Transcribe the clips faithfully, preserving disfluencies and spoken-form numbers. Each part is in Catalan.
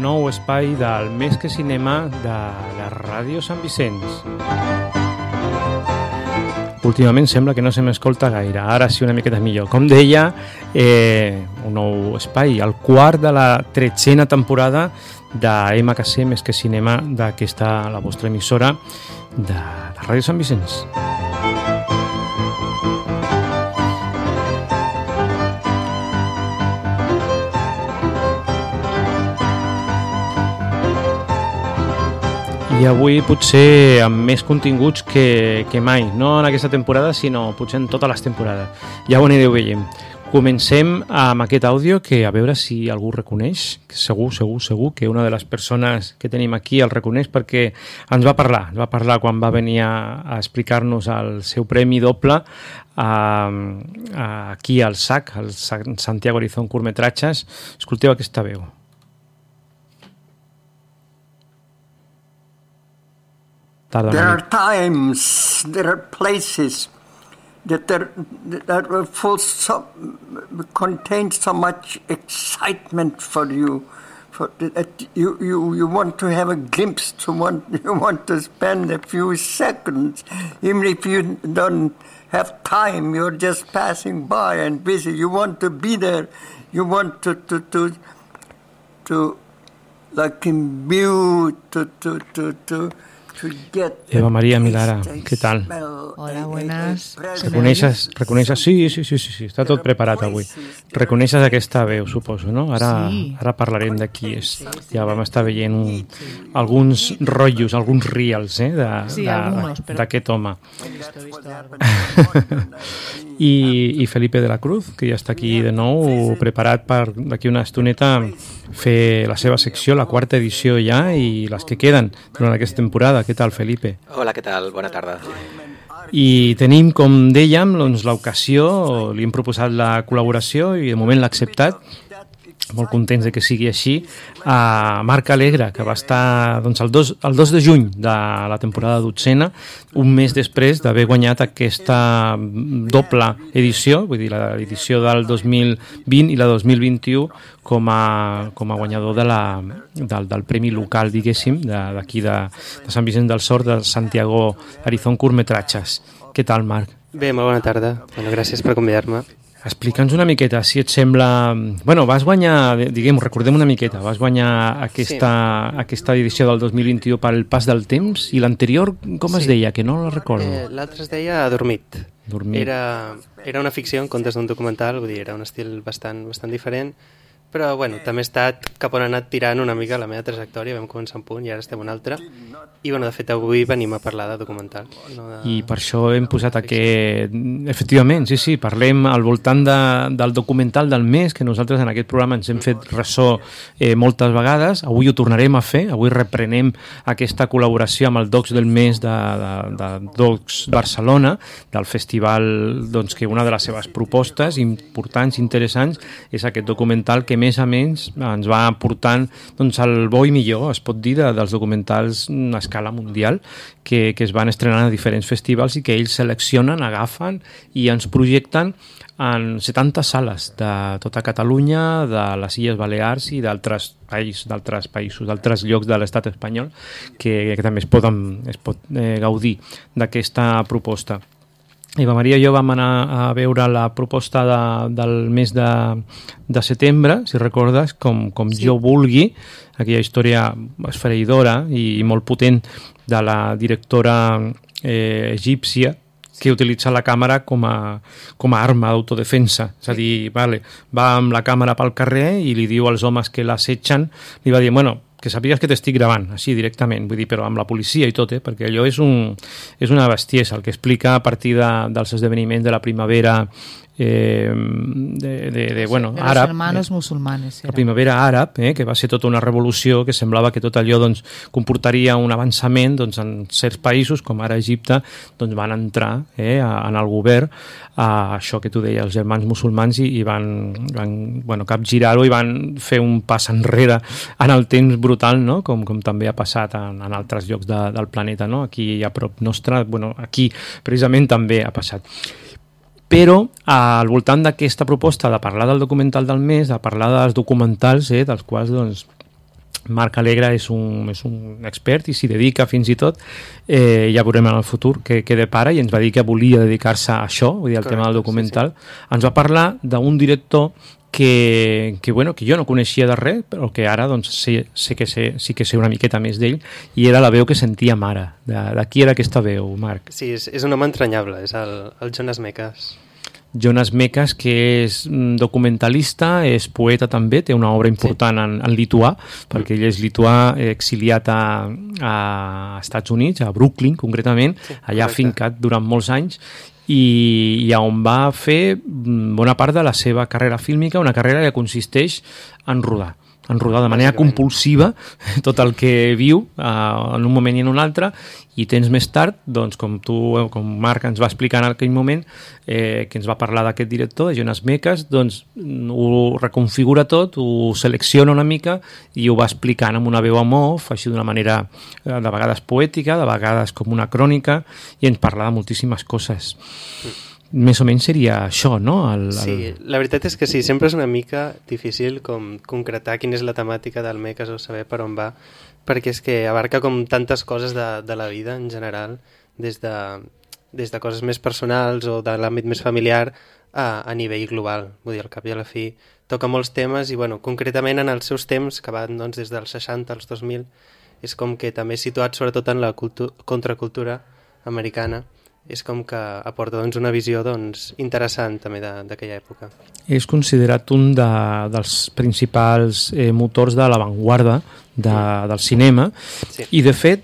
nou espai del Més que Cinema de la Ràdio Sant Vicenç. Últimament sembla que no se m'escolta gaire, ara sí una miqueta millor. Com deia, eh, un nou espai, el quart de la tretzena temporada de M K C Més que Cinema, d'aquesta, la vostra emissora de la Ràdio Sant Vicenç. I avui potser amb més continguts que, que mai, no en aquesta temporada, sinó potser en totes les temporades. Ja ho anireu veient. Comencem amb aquest àudio que a veure si algú reconeix, segur, segur, segur que una de les persones que tenim aquí el reconeix perquè ens va parlar, ens va parlar quan va venir a, a explicar-nos el seu premi doble a, a, aquí al S A C, al Santiago Arizón Curtmetratges. Escolteu aquesta veu. There are times, there are places that are, that are full so, contain so much excitement for you, for that you, you, you want to have a glimpse, to want, you want to spend a few seconds, even if you don't have time, you're just passing by and busy, you want to be there, you want to, to, to, to like imbue, to, to, to, to Eva María Milara, ¿qué tal? Hola, buenas. Reconeixes, reconeixes, sí, sí, sí, sí, sí, està tot preparat avui. Reconeixes aquesta veu, suposo, no? Ara, sí. Ara parlarem de qui és. Ja vam estar veient un, alguns rotllos, alguns reels, eh, de, sí, de, d'aquest home. I, I Felipe de la Cruz, que ja està aquí de nou, preparat per d'aquí una estoneta fer la seva secció, la quarta edició ja, i les que queden durant aquesta temporada. Què tal, Felipe? Hola, què tal? Bona tarda. I tenim, com dèiem, doncs, l'ocasió, li hem proposat la col·laboració i de moment l'ha acceptat, molt contents de que sigui així, a Marc Alegre, que va estar doncs, el, dos, el dos de juny de la temporada dotzena, un mes després d'haver guanyat aquesta doble edició, vull dir, l'edició del dos mil vint i la dos mil vint-i-u, com a, com a guanyador de la, del, del premi local, diguéssim, d'aquí de, de Sant Vicenç dels Horts, de Santiago Arizón Curtmetratges. Què tal, Marc? Bé, molt bona tarda. Bueno, gràcies per convidar-me. Explica'ns una miqueta, si et sembla... Bueno, vas guanyar, diguem, recordem una miqueta, vas guanyar aquesta, sí. aquesta edició del dos mil vint-i-u pel pas del temps, i l'anterior, com sí. es deia? Que no la recordo. Eh, L'altre es deia Adormit. Dormit. Era, era una ficció en comptes d'un documental, vull dir, era un estil bastant, bastant diferent, però bueno, també ha estat cap on ha anat tirant una mica la meva trajectòria, vam començar un punt i ara estem un altre, i bueno, de fet avui venim a parlar de documental. No de... I per això hem posat aquest... Efectivament, sí, sí, parlem al voltant de, del documental del mes, que nosaltres en aquest programa ens hem fet ressò eh, moltes vegades, avui ho tornarem a fer, avui reprenem aquesta col·laboració amb el Docs del mes de, de, de Docs Barcelona, del festival, doncs, que una de les seves propostes importants, interessants, és aquest documental que més a menys ens va portant doncs, el bo i millor, es pot dir, de, dels documentals a escala mundial que, que es van estrenar a diferents festivals i que ells seleccionen, agafen i ens projecten en setanta sales de tota Catalunya, de les Illes Balears i d'altres països, d'altres països, d'altres llocs de l'estat espanyol que, que també es, poden, es pot eh, gaudir d'aquesta proposta. Eva Maria i jo vam anar a veure la proposta de, del mes de, de setembre, si recordes, com, com sí. Jo vulgui, aquella història esfereïdora i, i molt potent de la directora eh, egípcia que utilitza la càmera com a, com a arma d'autodefensa. És a dir, vale, va amb la càmera pel carrer i li diu als homes que l'assetgen, li va dir, bueno, que sàpigues que t'estic gravant, així directament, vull dir, però amb la policia i tot, eh? Perquè allò és, un, és una bestiesa, el que explica a partir de, dels esdeveniments de la primavera eh, de, de, de, bueno, de àrab. Los hermanos eh, musulmanes. La primavera àrab, eh, que va ser tota una revolució, que semblava que tot allò doncs, comportaria un avançament doncs, en certs països, com ara Egipte, doncs, van entrar eh, en el govern a això que tu deies, els germans musulmans, i, i van, van bueno, capgirar-ho i van fer un pas enrere en el temps brutal, no? com, com també ha passat en, en altres llocs de, del planeta, no? Aquí a prop nostre, bueno, aquí precisament també ha passat. Però al voltant d'aquesta proposta de parlar del documental del mes, de parlar dels documentals, eh, dels quals doncs, Marc Alegre és un, és un expert i s'hi dedica fins i tot, eh, ja veurem en el futur que, que depara, i ens va dir que volia dedicar-se a això, vull dir, al tema del documental. Sí, sí. Ens va parlar d'un director que, que, bueno, que jo no coneixia de res, però que ara doncs, sé, sé que sé, sí que sé una miqueta més d'ell, i era la veu que sentia mare. De, de qui era aquesta veu, Marc? Sí, és, és un home entranyable, és el, el Jonas Mekas. Jonas Mekas, que és documentalista, és poeta també, té una obra important sí. en, en lituà, perquè ell és lituà exiliat a, a Estats Units, a Brooklyn concretament, sí, allà correcte. Fincat durant molts anys, i, i on va fer bona part de la seva carrera fílmica, una carrera que consisteix en rodar en rodar de manera compulsiva tot el que viu uh, en un moment i en un altre, i temps més tard, doncs, com tu, com Marc ens va explicar en aquell moment, eh, que ens va parlar d'aquest director, de Jonas Mekas, doncs ho reconfigura tot, ho selecciona una mica i ho va explicant amb una veu en off, així d'una manera eh, de vegades poètica, de vegades com una crònica, i ens parla de moltíssimes coses. Mm. Més o menys seria això, no? El, el... Sí, la veritat és que sí, sempre és una mica difícil com concretar quina és la temàtica del Mekas o saber per on va, perquè és que abarca com tantes coses de, de la vida en general, des de, des de coses més personals o de l'àmbit més familiar a, a nivell global. Vull dir, al cap i a la fi toca molts temes i, bueno, concretament en els seus temps, que van doncs, des dels seixanta als dos mil, és com que també situat sobretot en la cultu- contracultura americana, és com que aporta doncs, una visió doncs, interessant també d'aquella època. És considerat un de, dels principals eh, motors de l'avantguarda de, del cinema, sí. I de fet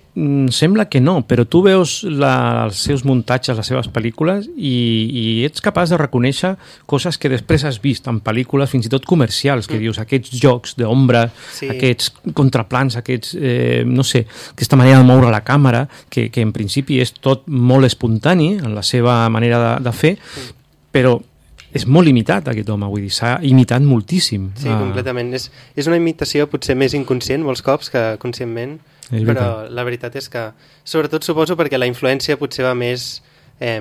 sembla que no, però tu veus la, els seus muntatges, les seves pel·lícules, i, i ets capaç de reconèixer coses que després has vist en pel·lícules fins i tot comercials, que mm. dius, aquests jocs d'ombra, sí. Aquests contraplans, aquests, eh, no sé, aquesta manera de moure la càmera, que, que en principi és tot molt espontani en la seva manera de, de fer, mm. però és molt limitat aquest home, vull dir, s'ha imitat moltíssim. Sí, ah. completament. És, és una imitació potser més inconscient molts cops que conscientment, és però veritat. La veritat és que, sobretot suposo perquè la influència potser va més, eh,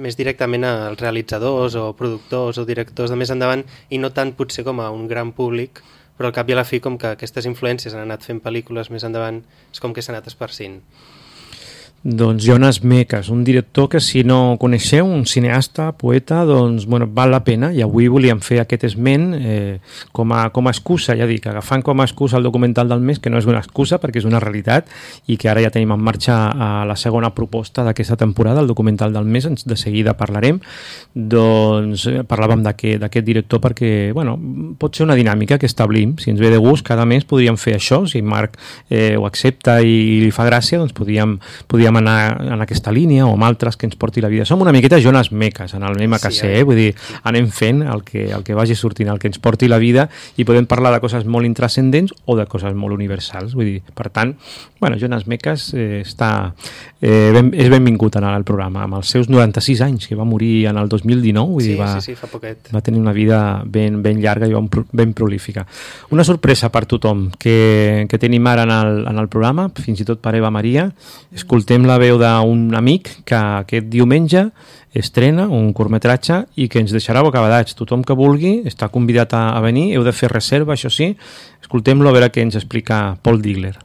més directament als realitzadors o productors o directors de més endavant i no tant potser com a un gran públic, però al cap i a la fi com que aquestes influències han anat fent pel·lícules més endavant, és com que s'ha anat esparcint. Doncs Jonas Mekas, un director que si no coneixeu, un cineasta, poeta, doncs bueno, val la pena, i avui volíem fer aquest esment eh, com, a, com a excusa, ja dic, agafant com a excusa el documental del mes, que no és una excusa perquè és una realitat i que ara ja tenim en marxa a la segona proposta d'aquesta temporada, el documental del mes, de seguida parlarem. Doncs eh, parlàvem d'aquest director perquè, bueno, pot ser una dinàmica que establim, si ens ve de gust, cada mes podríem fer això, si Marc eh, ho accepta i li fa gràcia, doncs podríem, podríem anar en aquesta línia o amb altres que ens porti la vida. Som una miqueta Jonas Mekas en el M K C, sí, eh? Vull dir, anem fent el que, el que vagi sortint, el que ens porti la vida, i podem parlar de coses molt intrascendents o de coses molt universals. Vull dir, per tant, bueno, Jonas Mekas eh, està, eh, ben, és benvingut en el programa, amb els seus noranta-sis anys, que va morir en el dos mil dinou, vull sí, dir, va, sí, sí, fa poquet. Va tenir una vida ben, ben llarga i ben, ben prolífica. Una sorpresa per tothom que, que tenim ara en el, en el programa, fins i tot per Eva Maria. Escoltem la veu d'un amic que aquest diumenge estrena un curtmetratge i que ens deixarà bocabadats. Tothom que vulgui està convidat a, a venir, heu de fer reserva, això sí. Escoltem-lo a veure què ens explica Paul Digler.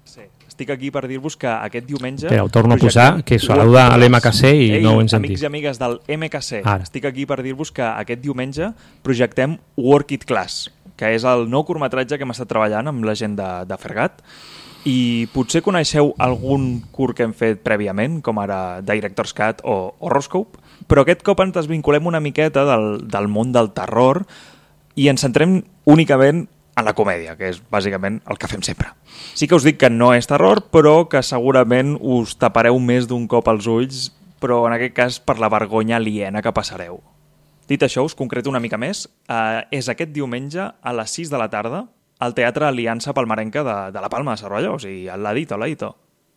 Sí, estic aquí per dir-vos que aquest diumenge... Espera, ho torno a posar, que saluda a l'M K C i Ei, no ho hem sentit. Amics i amigues del M K C, Ara. Estic aquí per dir-vos que aquest diumenge projectem Work It Class, que és el nou curtmetratge que hem estat treballant amb la gent de, de Fergat. I potser coneixeu algun curt que hem fet prèviament, com ara Director's Cut o Horoscope, però aquest cop ens desvinculem una miqueta del, del món del terror i ens centrem únicament en la comèdia, que és bàsicament el que fem sempre. Sí que us dic que no és terror, però que segurament us tapareu més d'un cop els ulls, però en aquest cas per la vergonya aliena que passareu. Dit això, us concreto una mica més. Eh, és aquest diumenge a les sis de la tarda al Teatre Aliança Palmarenca de, de la Palma de Cervelló, o sigui, al ladito, al ladito.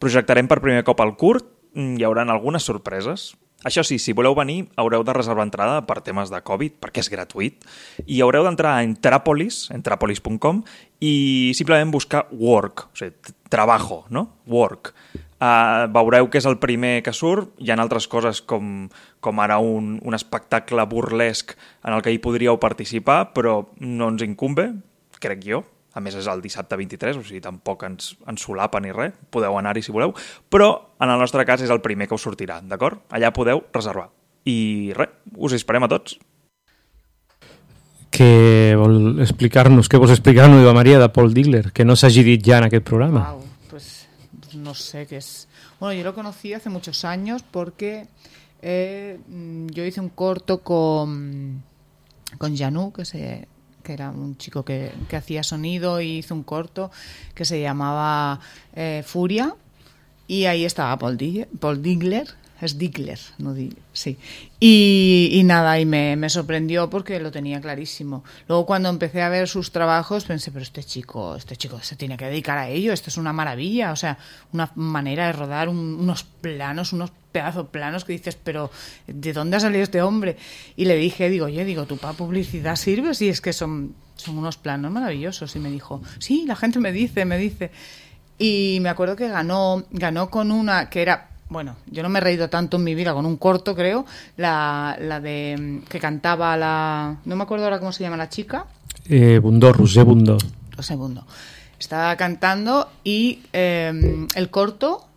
Projectarem per primer cop el curt, hi haurà algunes sorpreses. Això sí, si voleu venir, haureu de reservar entrada per temes de Covid, perquè és gratuït, i haureu d'entrar a Entrapolis, entrapolis punt com, i simplement buscar work, o sigui, trabajo, no? Work. Uh, veureu que és el primer que surt, hi ha altres coses com, com ara un, un espectacle burlesc en el que hi podríeu participar, però no ens incumbe, crec jo, A més, és el dissabte vint-i-tres, o sigui, tampoc ens, ens solapa ni res. Podeu anar-hi si voleu. Però, en el nostre cas, és el primer que us sortirà, d'acord? Allà podeu reservar. I res, us esperem a tots. Què vol explicar-nos, què vols explicar-nos, Eva Maria, de Paul Digler, que no s'hagi dit ja en aquest programa? Wow, pues no sé qué es. Bueno, yo lo conocí hace muchos años porque eh, yo hice un corto con, con Janu, que, se, que era un chico que, que hacía sonido, y hizo un corto que se llamaba eh, Furia, y ahí estaba Paul Digler, Paul Digler es Digler, no Digler, sí. Y, y nada, y me, me sorprendió porque lo tenía clarísimo. Luego cuando empecé a ver sus trabajos pensé, pero este chico, este chico se tiene que dedicar a ello, esto es una maravilla, o sea, una manera de rodar un, unos planos, unos pedazos planos que dices, pero ¿de dónde ha salido este hombre? Y le dije, digo, oye, digo, ¿tú para publicidad sirves? Y es que son, son unos planos maravillosos. Y me dijo, sí, la gente me dice, me dice. Y me acuerdo que ganó, ganó con una que era... Bueno, yo no me he reído tanto en mi vida con un corto, creo, la, la de que cantaba la... No me acuerdo ahora cómo se llama la chica. Eh, Bundó, Roser Bundó. Roser Bundó. Estaba cantando y eh, el corto...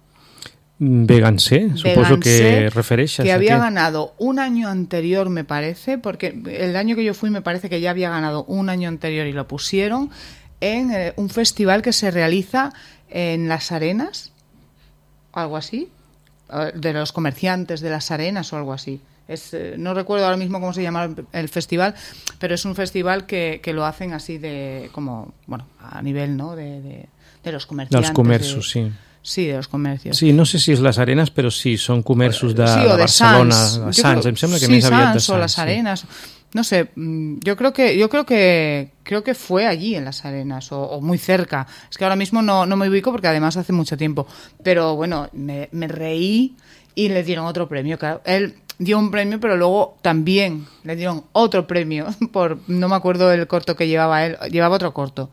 Véganse, suposo que refereixes. Que había aquí. ganado un año anterior, me parece, porque el año que yo fui me parece que ya había ganado un año anterior y lo pusieron en eh, un festival que se realiza en Las Arenas, algo así, de los comerciantes de Las Arenas o algo así. Es, eh, no recuerdo ahora mismo cómo se llama el, el festival, pero es un festival que, que lo hacen así de, como, bueno, a nivel, ¿no? De, de, de los comerciantes. Dels comerços, de, sí. Sí, de los comercios. Sí, no sé si és Les Arenas, però sí, són comerços de, sí, o de, de Barcelona, Sants. de Yo Sants, creo, em sembla que sí, més aviat de Sants Sants. o Las Arenas. Sí. No sé, yo creo que yo creo que creo que fue allí en Las Arenas o, o muy cerca. Es que ahora mismo no, no me ubico porque además hace mucho tiempo. Pero bueno, me, me reí y le dieron otro premio. Claro, él dio un premio, pero luego también le dieron otro premio por, no me acuerdo el corto que llevaba él, llevaba otro corto.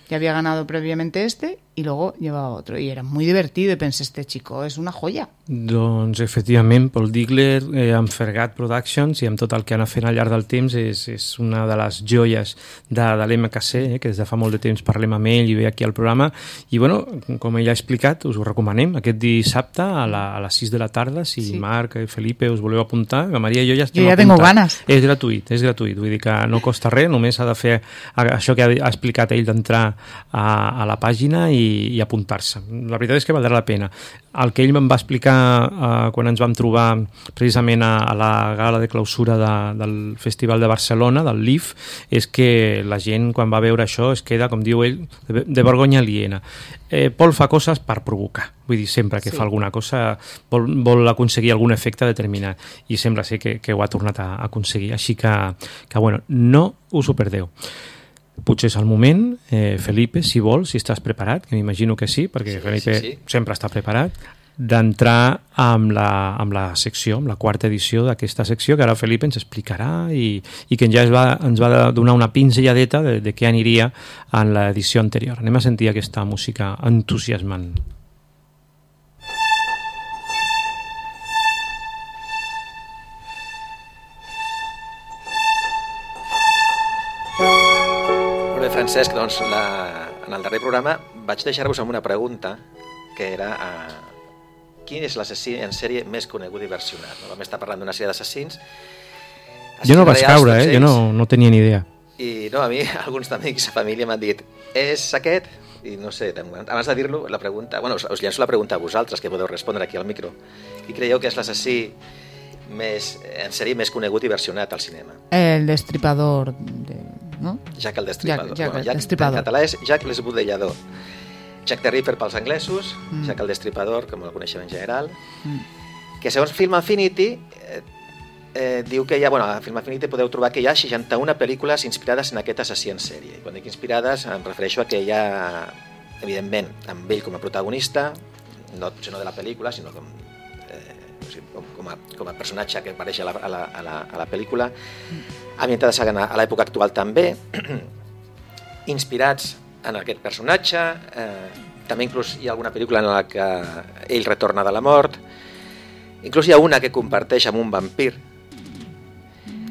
Ya había ganado previamente este y luego llevaba otro. Y era muy divertido y pensé, este chico és una joia. Doncs, efectivament, Paul Digler, eh, amb Fergat Productions i amb tot el que ha anat fent al llarg del temps, és, és una de les joies de, de l'M K C, eh, que des de fa molt de temps parlem amb ell i ve aquí al programa. I, bueno, com ell ha explicat, us ho recomanem, aquest dissabte a, la, a les sis de la tarda, si sí. Marc i Felipe us voleu apuntar, la Maria i jo ja estem jo ja apuntats. tengo ganes. És gratuït, és gratuït, vull dir que no costa res, només ha de fer això que ha, ha explicat ell d'entrar a, a la pàgina i, i apuntar-se. La veritat és que valdrà la pena. El que ell em va explicar eh, quan ens vam trobar precisament a, a la gala de clausura de, del Festival de Barcelona, del L I F, és que la gent quan va veure això es queda, com diu ell, de, de vergonya aliena. Eh, Paul fa coses per provocar, vull dir, sempre que sí. fa alguna cosa vol, vol aconseguir algun efecte determinat i sembla ser que, que ho ha tornat a aconseguir, així que, que bueno, no us ho perdeu. Potser és el moment, eh, Felipe, si vols, si estàs preparat, que m'imagino que sí, perquè sí, Felipe sí, sí. sempre està preparat, d'entrar amb la, amb la secció, amb la quarta edició d'aquesta secció, que ara Felipe ens explicarà i, i que ja ens va, ens va donar una pinzelladeta de, de què aniria en l'edició anterior. Anem a sentir aquesta música entusiasmant. Francesc, doncs, la, en el darrer programa vaig deixar-vos amb una pregunta que era uh, quin és l'assassí en sèrie més conegut i versionat? No? Vam estar parlant d'una sèrie d'assassins. Jo no vaig caure, eh? Jo no, no tenia ni idea. I no, a mi alguns amics, família m'han dit és aquest? I no sé, abans de dir-lo, la pregunta... Bueno, us, us llenço la pregunta a vosaltres, que podeu respondre aquí al micro. Qui creieu que és l'assassí més, en sèrie més conegut i versionat al cinema? El Destripador de... ¿no? Jack el Destripador. Jack, Jack bueno, el Jack, Destripador. En català és Jack l'Esbudellador. Jack the Ripper pels anglesos, mm. Jack el Destripador, com el coneixem en general, mm. que segons Film Affinity eh, eh, diu que hi ha, bueno, a Film Affinity podeu trobar que hi ha seixanta-una pel·lícules inspirades en aquest assassí en sèrie. Quan dic inspirades em refereixo a que hi ha, evidentment, amb ell com a protagonista, no, no de la pel·lícula, sinó com com a, com a personatge que apareix a la, a la, a la, a la pel·lícula, ambientades a l'època actual també, inspirats en aquest personatge, eh, també inclús hi ha alguna pel·lícula en la que ell retorna de la mort, inclús hi ha una que comparteix amb un vampir,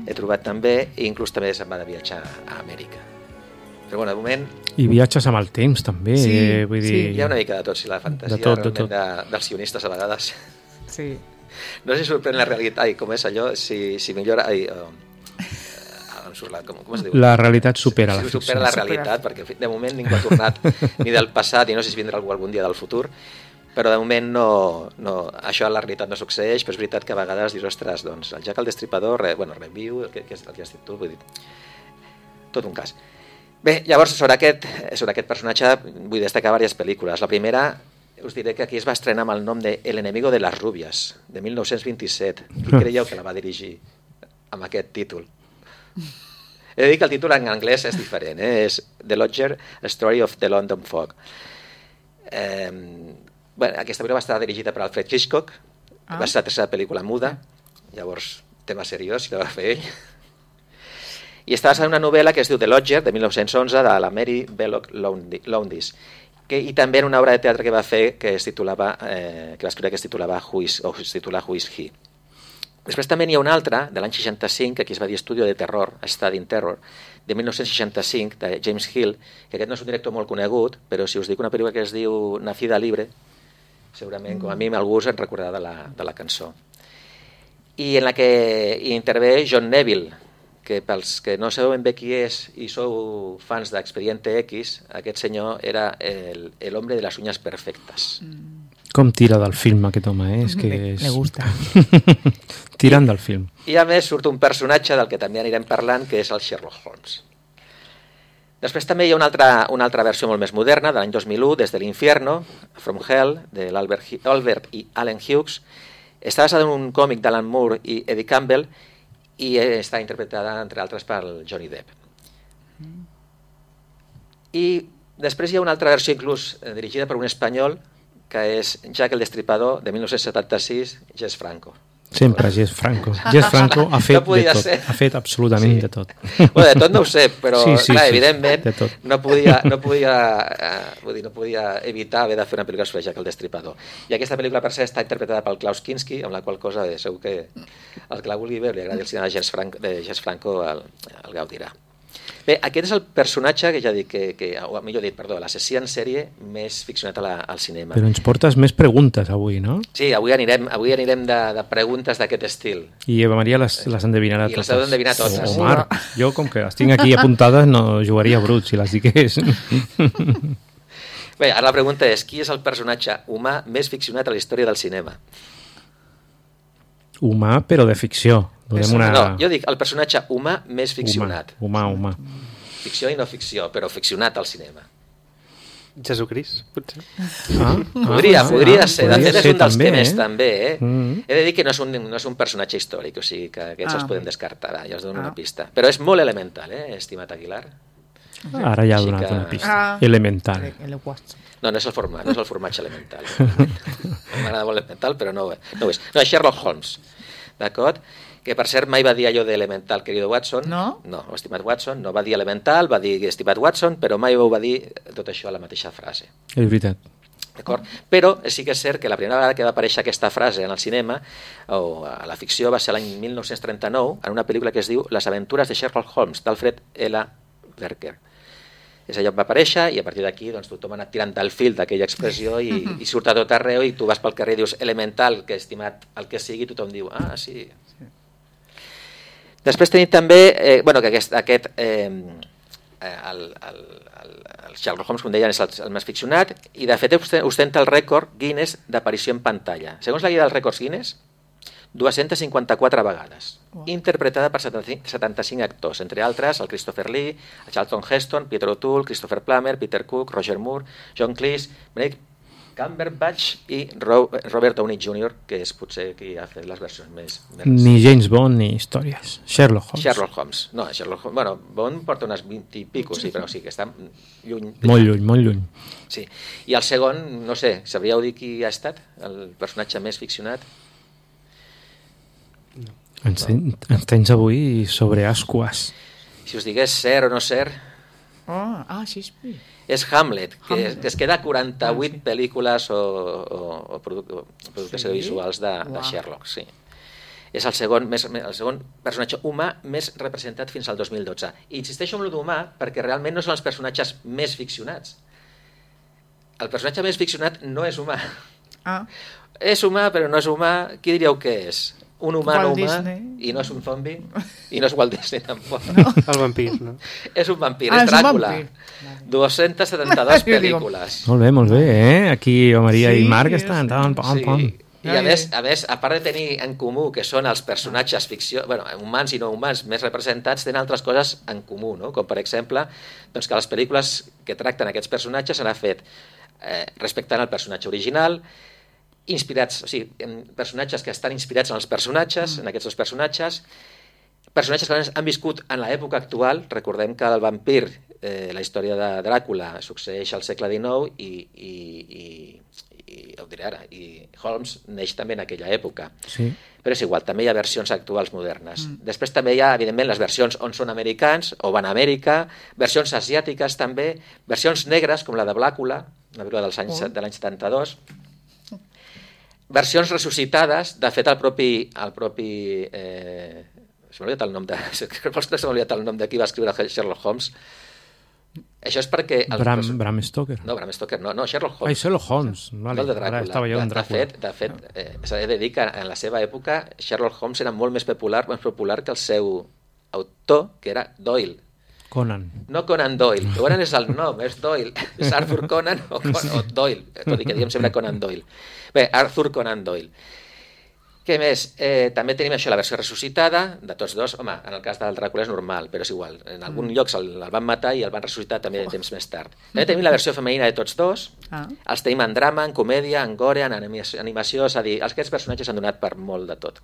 he trobat també, i inclús també se'n va de viatjar a Amèrica. Però bueno, de moment... I viatges amb el temps, també. Sí, eh, vull sí. dir... Hi ha una mica de tot, si la fantasia De tot, de realment tot. de, dels sionistes a vegades... Sí. No sé si sorprèn la realitat, ai, com és allò, si, si millora... Ai, uh, em surt la, com, com es diu? La realitat supera si, la si ficció. supera la realitat, perquè en fi, de moment ningú ha tornat ni del passat i no sé si vindrà algú algun dia del futur, però de moment no, no, això a la realitat no succeeix, però és veritat que a vegades dius, ostres, doncs el Jack el Destripador, re, bueno, reviu, el que, que, és, el que has dit tu, vull dir, tot un cas. Bé, llavors, sobre aquest, sobre aquest personatge vull destacar diverses pel·lícules. La primera, us diré que aquí es va estrenar amb el nom de El enemigo de las rubias, de mil nou-cents vint-i-set. Qui creieu que la va dirigir amb aquest títol? He de dir que el títol en anglès és diferent, eh? És The Lodger, A Story of the London Fog. Eh, bueno, aquesta pel·lícula va estar dirigida per Alfred Hitchcock, ah. va ser la tercera pel·lícula muda, llavors tema seriós, i la va fer ell. I està basada en una novel·la que es diu The Lodger, de mil nou-cents onze, de la Mary Belloc Lowndes, que, i també en una obra de teatre que va fer que es titulava, eh, que va escriure que es titulava Who is, o es titula Who is He. Després també n'hi ha una altra, de l'any seixanta-cinc, que aquí es va dir Estudio de Terror, Study in Terror, de mil nou-cents seixanta-cinc, de James Hill, que aquest no és un director molt conegut, però si us dic una pel·lícula que es diu Nacida Libre, segurament, com a mi, algú us en recordarà de la, de la cançó. I en la que hi intervé John Neville, que pels que no sabeu ben bé qui és i sou fans d'Expediente X, aquest senyor era el, el hombre de les uñas perfectes. Com tira del film aquest home, eh? És que Le, és... le gusta. Tirant del film. I a més surt un personatge del que també anirem parlant, que és el Sherlock Holmes. Després també hi ha una altra, una altra versió molt més moderna, de l'any dos mil u, Des de l'Infierno, From Hell, de l'Albert Albert i Allen Hughes. Està basada en un còmic d'Alan Moore i Eddie Campbell i està interpretada, entre altres, pel Johnny Depp. I després hi ha una altra versió, inclús eh, dirigida per un espanyol, que és Jack el Destripador, de mil nou-cents setanta-sis, Jess Franco. Sempre Jess Franco. Jess Franco ha fet No de tot. ser. Ha fet absolutament Sí. de tot. Bueno, de tot no ho sé, però Sí, sí, clar, sí, evidentment de tot. no podia, no, podia, eh, vull dir, no podia evitar haver de fer una pel·lícula sobre Jack el Destripador. I aquesta pel·lícula, per cert, està interpretada pel Klaus Kinski, amb la qual cosa eh, segur que el que la vulgui veure li agradi el cinema de Jess Franco, de Jess Franco el, el gaudirà. Bé, aquest és el personatge que ja dic que, que o millor dit, perdó, l'assassí en sèrie més ficcionat a la, al cinema. Però ens portes més preguntes avui, no? Sí, avui anirem, avui anirem de, de preguntes d'aquest estil. I Eva Maria les, les endevinarà I les totes. heu d'endevinar totes. Oh, Omar, jo com que les tinc aquí apuntades no jugaria brut si les digués. Bé, ara la pregunta és, qui és el personatge humà més ficcionat a la història del cinema? Humà, però de ficció. Donem una... No, jo dic el personatge humà més ficcionat. Humà, humà, humà. Ficció i no ficció, però ficcionat al cinema. Jesucrist, potser. Ah, Podria, ah, podria ah, ser. De podria fet, és ser un dels també, temes eh? també. Eh? Mm. He de dir que no és un, no és un personatge històric, o sigui que aquests Ah. els podem descartar. Va, ja us dono Ah. una pista. Però és molt elemental, eh, estimat Aguilar? Ara ja ha Així donat que- una pista. Ah. Elemental. El, el Watson. No, no és el format, no és el formatge elemental. M'agrada molt elemental, però no, no ho és. No, és Sherlock Holmes, d'acord? Que per cert mai va dir allò d'elemental, querido Watson. No? No, estimat Watson, no va dir elemental, va dir estimat Watson, però mai ho va dir tot això a la mateixa frase. És veritat. D'acord? Però sí que és cert que la primera vegada que va aparèixer aquesta frase en el cinema o a la ficció va ser l'any mil nou-cents trenta-nou en una pel·lícula que es diu Les aventures de Sherlock Holmes, d'Alfred L. Berker. És allò que va aparèixer i a partir d'aquí doncs, tothom ha anat tirant del fil d'aquella expressió i, i surt a tot arreu i tu vas pel carrer i dius elemental, que estimat el que sigui, tothom diu, ah, sí. Després tenim també, eh, bueno, que aquest, aquest eh, el, el, el, el Sherlock Holmes, com deien, és el, el més ficcionat i de fet ostenta el rècord Guinness d'aparició en pantalla. Segons la guia dels rècords Guinness, dues-centes cinquanta-quatre vegades, wow. Interpretada per setanta-cinc actors, entre altres el Christopher Lee, el Charlton Heston, Peter O'Toole, Christopher Plummer, Peter Cook, Roger Moore, John Cleese, Benedict Cumberbatch i Robert Downey júnior, que és potser qui ha fet les versions més... més... Ni James Bond ni històries. Sherlock Holmes. Sherlock Holmes. No, Sherlock Holmes... Bueno, Bond porta unes vint i pico, sí, però sí que està lluny. Molt lluny, molt lluny. Sí. I el segon, no sé, sabríeu dir qui ha estat el personatge més ficcionat? Ens, ten, ens tens avui sobre ascuas. Si us digués ser o no ser... Oh, ah, Shakespeare. És Hamlet, que, Hamlet. que es queda quaranta-vuit Ah, sí. pel·lícules o, o, o, produc o productes Sí? visuals de, de Uau. Sherlock, sí. és el segon, més, el segon personatge humà més representat fins al dos mil dotze. I insisteixo en l'humà perquè realment no són els personatges més ficcionats. El personatge més ficcionat no és humà. Ah. És humà, però no és humà. Qui diríeu que és? Un humà Walt no humà Disney. i no és un zombi i no és Walt Disney tampoc. No. El vampir, no? És un vampir, Ah, és és un Dràcula. vampir. dues-centes setanta-dues Jo digo- pel·lícules. Molt bé, molt bé, eh? Aquí o Maria Sí, i Marc sí. estan... Pam, pam, pam. Sí. I a Ai, més, ai. a més, a part de tenir en comú que són els personatges ficció, bueno, humans i no humans més representats, tenen altres coses en comú, no? Com per exemple, doncs que les pel·lícules que tracten aquests personatges s'han fet eh, respectant el personatge original, inspirats, o sigui, en personatges que estan inspirats en els personatges, mm. en aquests dos personatges, personatges que han viscut en l'època actual. Recordem que el vampir, eh, la història de Dràcula, succeeix al segle dinou i, i, i, i, ho diré ara, i Holmes neix també en aquella època. Sí. Però és igual, també hi ha versions actuals modernes. Mm. Després també hi ha, evidentment, les versions on són americans o van a Amèrica, versions asiàtiques també, versions negres, com la de Blàcula, una pel·lícula dels anys, oh. de l'any setanta-dos, versions ressuscitades. De fet, el propi... El propi eh, se m'ha oblidat el nom de... Se m'ha oblidat el nom de qui va escriure Sherlock Holmes. Això és perquè... El, Bram, Bram Stoker. No, Bram Stoker, no, no, Sherlock Holmes. Ai, Sherlock Holmes. Vale. No el de Dràcula. Ara estava jo en de, de Dràcula. fet, de fet eh, s'ha de dir que en la seva època Sherlock Holmes era molt més popular, més popular que el seu autor, que era Doyle. Conan. No Conan Doyle. Conan és el nom, és Doyle. És Arthur Conan o, Con o Doyle, tot i que diguem sempre Conan Doyle. Bé, Arthur Conan Doyle. Què més? Eh, també tenim això, la versió ressuscitada de tots dos. Home, en el cas del Dràcula és normal, però és igual. En algun mm. lloc el, el van matar i el van ressuscitar també de temps més tard. També tenim la versió femenina de tots dos. Ah. Els tenim en drama, en comèdia, en gore, en animació, animació, és a dir, aquests personatges han donat per molt de tot.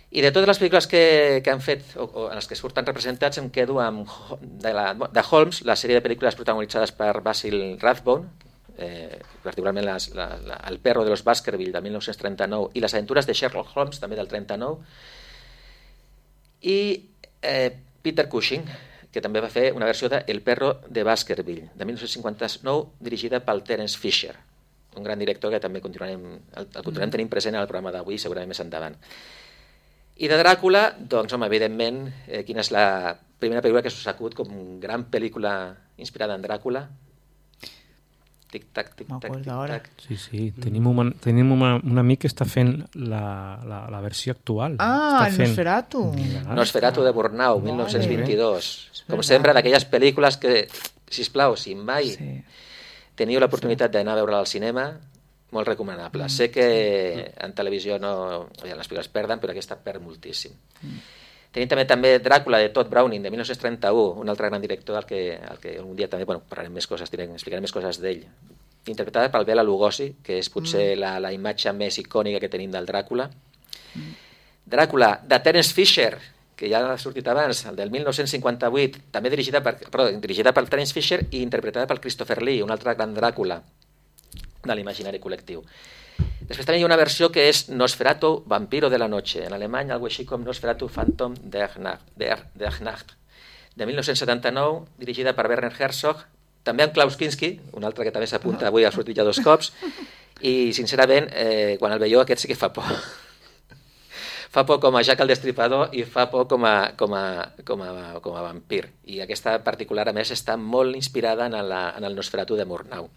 I de totes les pel·lícules que, que han fet, o, o en les que surten representats, em quedo amb de, la, de Holmes, la sèrie de pel·lícules protagonitzades per Basil Rathbone, eh, particularment les, la, la, El perro de los Baskerville, de mil nou-cents trenta-nou, i Les aventures de Sherlock Holmes, també del trenta-nou, i eh, Peter Cushing, que també va fer una versió de El perro de Baskerville, de mil nou-cents cinquanta-nou, dirigida pel Terence Fisher, un gran director que també continuarem, el, el continuarem tenint present en el programa d'avui, segurament més endavant. I de Dràcula, doncs, home, evidentment, eh, quina és la primera pel·lícula que s'us acut com gran pel·lícula inspirada en Dràcula? Tic-tac, tic-tac, tic-tac. Sí, sí, tenim, una, tenim una, un amic que està fent la, la, la versió actual. Ah, està el fent... Nosferatu. Nosferatu de Murnau, mil nou-cents vint-i-dos. Com sempre, d'aquelles pel·lícules que, sisplau, si mai sí. teniu l'oportunitat d'anar a veure al cinema, molt recomanable. Mm, sé que sí. en televisió no, ja les pel·lícules perden, però aquesta perd moltíssim. Mm. Tenim també també Dràcula de Todd Browning, de mil nou-cents trenta-u, un altre gran director del que, el que un dia també, bueno, parlarem més coses, direm, explicarem més coses d'ell. Interpretada per Bela Lugosi, que és potser mm. la, la imatge més icònica que tenim del Dràcula. Mm. Dràcula, de Terence Fisher, que ja ha sortit abans, el del mil nou-cents cinquanta-vuit, també dirigida per, perdó, dirigida per Terence Fisher i interpretada per Christopher Lee, un altre gran Dràcula de l'imaginari col·lectiu. Després també hi ha una versió que és Nosferatu, Vampiro de la Noche, en alemany algo així com Nosferatu Phantom der Nacht, der, der Nacht, de mil nou-cents setanta-nou, dirigida per Werner Herzog, també amb Klaus Kinski, un altre que també s'apunta avui, ha sortit ja dos cops, i sincerament, eh, quan el veieu aquest sí que fa por. Fa por com a Jack el Destripador i fa por com a, com a, com a, com a vampir. I aquesta particular, a més, està molt inspirada en, la, en el Nosferatu de Murnau.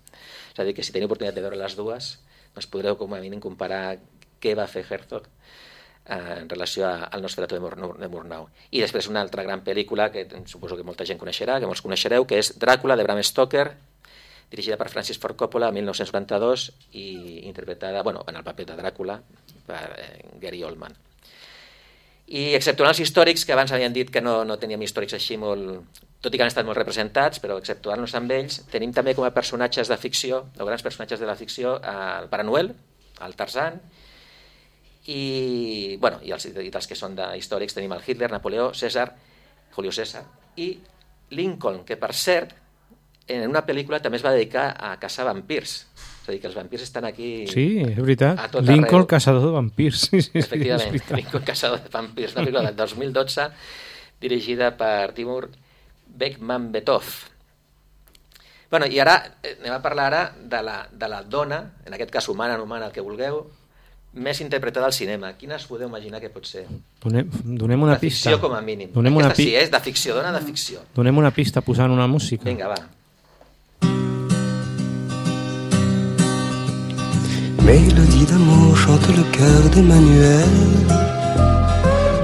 És a dir, que si teniu oportunitat de veure les dues, doncs podreu com a mínim comparar què va fer Herzog eh, en relació a, al Nosferatu de Murnau, de Murnau. I després una altra gran pel·lícula que suposo que molta gent coneixerà, que molts coneixereu, que és Dràcula, de Bram Stoker, dirigida per Francis Ford Coppola, mil nou-cents noranta-dos, i interpretada, bueno, en el paper de Dràcula, per eh, Gary Oldman. I exceptuant els històrics, que abans havien dit que no, no teníem històrics així molt... tot i que han estat molt representats, però exceptuant-nos amb ells, tenim també com a personatges de ficció, o grans personatges de la ficció, el Pare Noel, el Tarzan, i, bueno, i, els, i dels que són de històrics tenim el Hitler, Napoleó, César, Julio César, i Lincoln, que per cert, en una pel·lícula també es va dedicar a caçar vampirs. És a dir, que els vampirs estan aquí... Sí, és veritat. Lincoln, caçador de vampirs. Sí, sí, efectivament, sí, Lincoln, caçador de vampirs. Una pel·lícula del dos mil dotze dirigida per Timur Bekmambetov. Bueno, i ara anem a parlar ara de la, de la dona, en aquest cas humana, no humana, el que vulgueu, més interpretada al cinema. Quina us podeu imaginar que pot ser? Donem, donem una de pista. ficció, com a mínim. Donem Aquesta una pi... sí, és de ficció, dona de ficció. Donem una pista posant una música. Vinga, va. Mélodie d'amour chante le cœur d'Emmanuel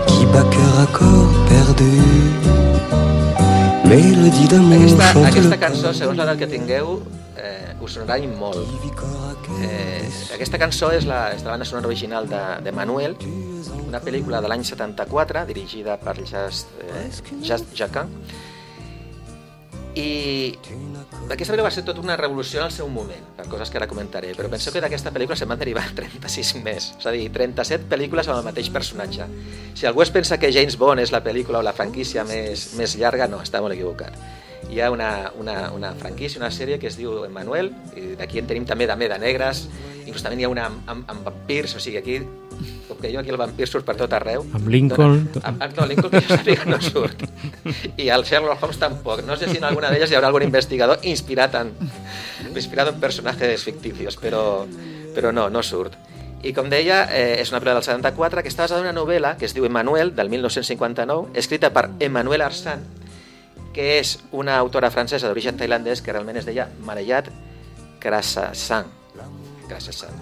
qui bat cœur à corps perdu. Mélodie d'amour Aquesta, chante aquesta le cançó, segons l'edat que tingueu, eh, us sonarà molt. Eh, aquesta cançó és la, és de la banda sonora original de, de Manuel, una pel·lícula de l'any setanta-quatre, dirigida per Jacques eh, Jacquin. I aquesta pel·lícula va ser tota una revolució en el seu moment, per coses que ara comentaré, però penseu que d'aquesta pel·lícula se'n van derivar trenta-sis més, és a dir, trenta-set pel·lícules amb el mateix personatge. Si algú es pensa que James Bond és la pel·lícula o la franquícia més, més llarga, no, està molt equivocat. Hi ha una, una, una franquícia, una sèrie que es diu Emmanuel, i d'aquí en tenim també també de negres, inclús també hi ha una amb, amb, amb vampirs, o sigui, aquí, com que jo aquí el vampir surt per tot arreu. Amb Lincoln. Dona, amb, no, Lincoln que jo sàpiga no surt. I el Sherlock Holmes tampoc. No sé si en alguna d'elles hi haurà algun investigador inspirat en, inspirat en personatges ficticios, però, però no, no surt. I com deia, eh, és una pel·lícula del setanta-quatre que està basada en una novel·la que es diu Emmanuel, del mil nou-cents cinquanta-nou, escrita per Emmanuel Arsène, que és una autora francesa d'origen tailandès que realment es deia Marayat Krasasang, Krasasang,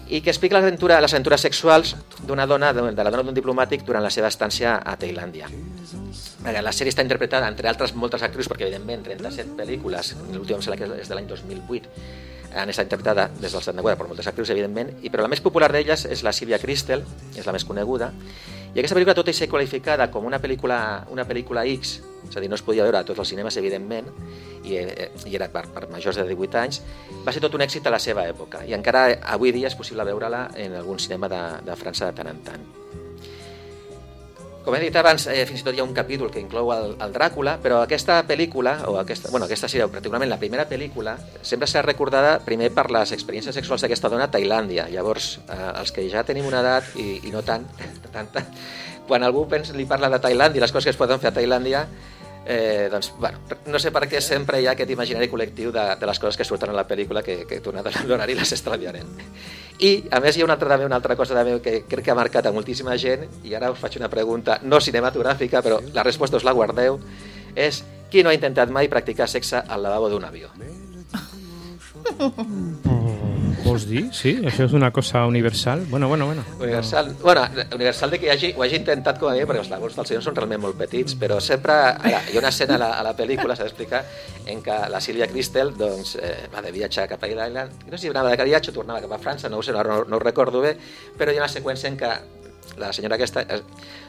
i que explica l'aventura, les aventures sexuals d'una dona, de la dona d'un diplomàtic durant la seva estància a Tailàndia. La sèrie està interpretada, entre altres, moltes actrius, perquè evidentment trenta-set pel·lícules, l'última em sembla que és de l'any dos mil vuit, han estat interpretada des del setanta-quatre per moltes actrius, evidentment, i, però la més popular d'elles és la Sylvia Kristel, és la més coneguda, i aquesta pel·lícula, tot i ser qualificada com una pel·lícula, una pel·lícula X, és a dir, no es podia veure a tots els cinemes, evidentment, i, i era per, per majors de divuit anys, va ser tot un èxit a la seva època, i encara avui dia és possible veure-la en algun cinema de, de França de tant en tant. Com he dit abans, eh, fins i tot hi ha un capítol que inclou el, el Dràcula, però aquesta pel·lícula, o aquesta, bueno, aquesta seria particularment la primera pel·lícula, sempre serà recordada primer per les experiències sexuals d'aquesta dona a Tailàndia. Llavors, eh, els que ja tenim una edat, i, i no tant, tanta, quan algú pensa, li parla de Tailàndia i les coses que es poden fer a Tailàndia, eh, doncs, bueno, no sé per què sempre hi ha aquest imaginari col·lectiu de, de les coses que surten a la pel·lícula que, que tornat a l'horari les estalviarem. I, a més, hi ha una altra, també, una altra cosa també que crec que ha marcat a moltíssima gent, i ara us faig una pregunta no cinematogràfica, però la resposta us la guardeu, és qui no ha intentat mai practicar sexe al lavabo d'un avió? Vols dir? Sí? Això és una cosa universal? Bueno, bueno, bueno. Universal, bueno, universal de que hi hagi, ho hagi intentat com a mi, perquè els lavabos dels senyors són realment molt petits, però sempre ara, hi ha una escena a la, a la pel·lícula, s'ha d'explicar, en què la Sylvia Kristel doncs, eh, va de viatge cap a Irlanda, no sé si anava de viatge o tornava cap a França, no ho sé, no, no, no ho recordo bé, però hi ha una seqüència en què la senyora aquesta eh,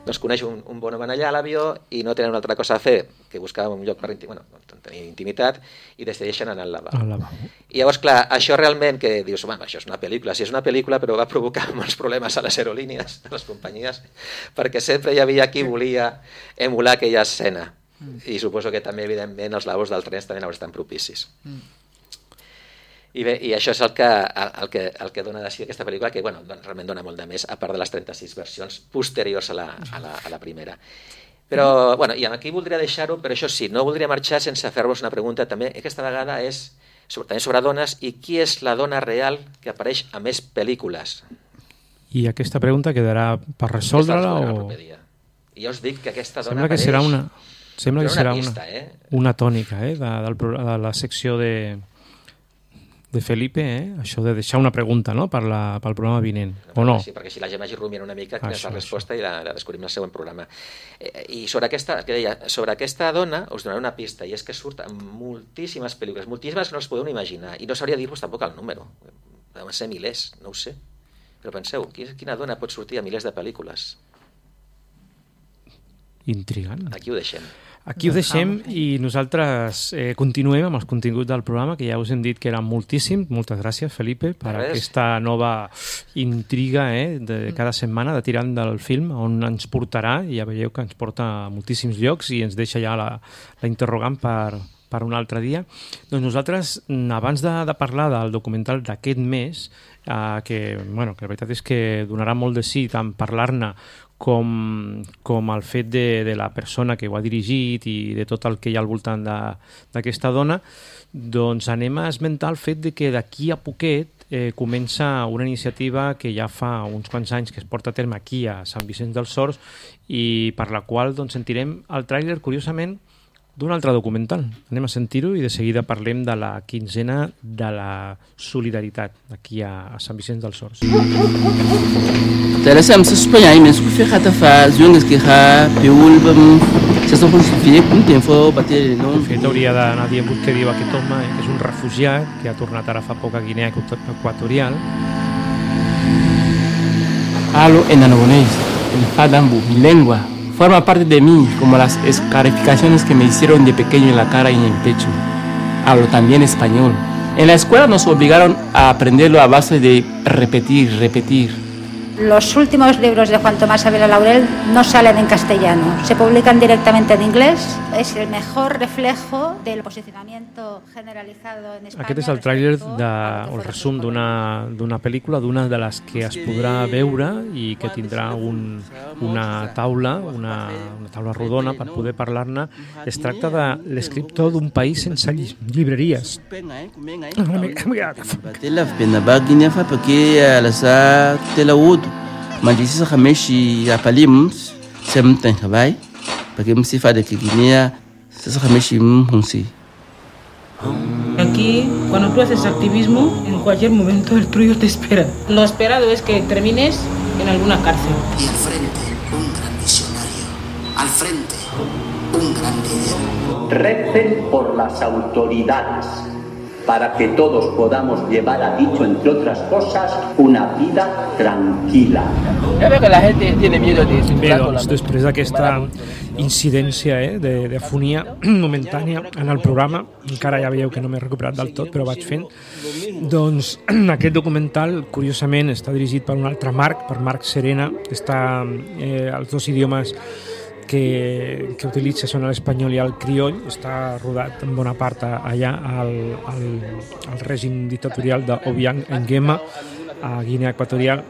doncs coneix un, un bon home allà a l'avió i no tenen una altra cosa a fer que buscar un lloc per intim, bueno, tenir intimitat i decideixen anar al lavabo. lavabo. I llavors, clar, això realment que dius, home, això és una pel·lícula, sí és una pel·lícula, però va provocar molts problemes a les aerolínies, a les companyies, perquè sempre hi havia qui volia emular aquella escena. I suposo que també, evidentment, els lavabos del tren també no estan propicis. Mm. I bé, i això és el que, el que, el que dona de si aquesta pel·lícula, que bueno, realment dona molt de més, a part de les trenta-sis versions posteriors a la, a la, a la primera. Però, bueno, i aquí voldria deixar-ho, però això sí, no voldria marxar sense fer-vos una pregunta també, aquesta vegada és sobre, també sobre dones, i qui és la dona real que apareix a més pel·lícules? I aquesta pregunta quedarà per resoldre-la o...? I jo us dic que aquesta dona sembla que apareix... serà una, sembla que serà una, pista, eh? una tònica eh, de, del, de la secció de... de Felipe, eh? Això de deixar una pregunta, no?, per la, pel programa vinent, o no? Sí, perquè si la gent vagi rumiant una mica quina és la resposta això. I la, la descobrim al següent programa. Eh, I sobre aquesta, que deia, sobre aquesta dona us donaré una pista, i és que surt en moltíssimes pel·lícules, moltíssimes que no us podeu imaginar, i no sabria dir-vos tampoc el número, deuen ser milers, no ho sé, però penseu, quina dona pot sortir a milers de pel·lícules? Intrigant. Aquí ho deixem. Aquí ho deixem i nosaltres eh, continuem amb els continguts del programa, que ja us hem dit que eren moltíssim. Moltes gràcies, Felipe, per Res. aquesta nova intriga eh, de cada setmana de tirant del film, on ens portarà, i ja veieu que ens porta a moltíssims llocs i ens deixa ja la, la interrogant per, per un altre dia. Doncs nosaltres, abans de, de parlar del documental d'aquest mes, eh, que, bueno, que la veritat és que donarà molt de sí tant parlar-ne com, com el fet de, de la persona que ho ha dirigit i de tot el que hi ha al voltant d'aquesta dona, doncs anem a esmentar el fet de que d'aquí a poquet eh, comença una iniciativa que ja fa uns quants anys que es porta a terme aquí a Sant Vicenç dels Horts i per la qual doncs, sentirem el tràiler, curiosament, d'un altre documental. Anem a sentir-ho i de seguida parlem de la quinzena de la solidaritat aquí a, a Sant Vicenç dels Horts. Teresa, se Espanha aí mesmo, que ferrata faz, jungas que ha, peulbam, se só por ficar com tempo bater no. De fet, hauria d'anar dient què diu aquest home, que és un refugiat que ha tornat ara fa poc a Guinea Equatorial. Hablo en aragonés, el fadambu, mi lengua. Forma parte de mí, como las escarificaciones que me hicieron de pequeño en la cara y en el pecho. Hablo también español. En la escuela nos obligaron a aprenderlo a base de repetir, repetir. Los últimos libros de Juan Tomás Ávila Laurel no salen en castellano, se publican directamente en inglés. Es el mejor reflejo del posicionamiento generalizado en España. Aquest és el tràiler de, o el resum d'una d'una pel·lícula, d'una de les que es podrà veure i que tindrà un, una taula, una, una taula rodona per poder parlar-ne. Es tracta de l'escriptor d'un país sense lli llibreries. Mandisi khameshi apalimums semten khabai porque me sifa de Guinea se khameshi munsi. Aquí, cuando tú haces activismo, en cualquier momento el tuyo te espera. Lo esperado es que termines en alguna cárcel. Y al frente, un gran visionario. Al frente, un gran líder. Recen por las autoridades para que todos podamos llevar a dicho, entre otras cosas, una vida tranquila. Ya veo que la gente tiene miedo de Bé, doncs, després d'aquesta incidència eh, de, de fonia momentània en el programa, encara ja veieu que no m'he recuperat del tot, però vaig fent, doncs aquest documental, curiosament, està dirigit per un altre Marc, per Marc Serena, està eh, els dos idiomes que, que utilitza són l'espanyol i el crioll, està rodat en bona part allà al, al, al règim dictatorial d'Obiang Nguema a Guinea Equatorial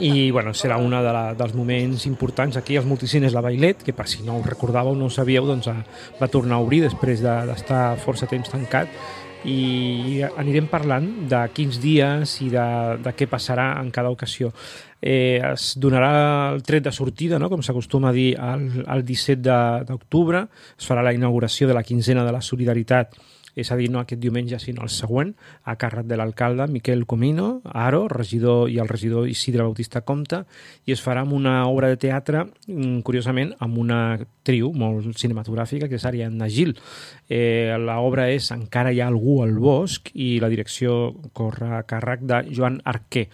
i bueno, serà un de la, dels moments importants aquí als multicines La Bailet, que per si no ho recordàveu, no ho sabíeu, doncs va tornar a obrir després d'estar de, força temps tancat i anirem parlant de quins dies i de, de què passarà en cada ocasió. Eh, es donarà el tret de sortida, no? Com s'acostuma a dir, el, el disset d'octubre, es farà la inauguració de la quinzena de la solidaritat, és a dir, no aquest diumenge, sinó el següent, a càrrec de l'alcalde Miquel Comino, Aro, regidor i el regidor Isidre Bautista Comte, i es farà amb una obra de teatre, curiosament, amb una trio molt cinematogràfica, que és Ariadna Gil. Eh, L'obra és Encara hi ha algú al bosc i la direcció corre a càrrec de Joan Arquer.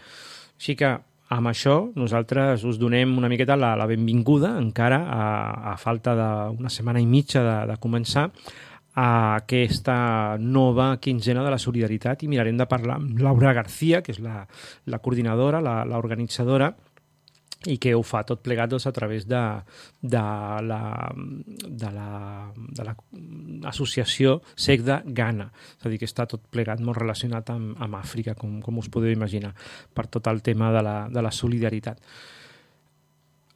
Així que, amb això, nosaltres us donem una miqueta la, la benvinguda, encara a, a falta d'una setmana i mitja de, de començar, a aquesta nova quinzena de la solidaritat i mirarem de parlar amb Laura García, que és la, la coordinadora, la, la organitzadora, i que ho fa tot plegat doncs, a través de, de la de la, de la associació Segda Ghana, és a dir, que està tot plegat molt relacionat amb, amb Àfrica, com, com us podeu imaginar, per tot el tema de la, de la solidaritat.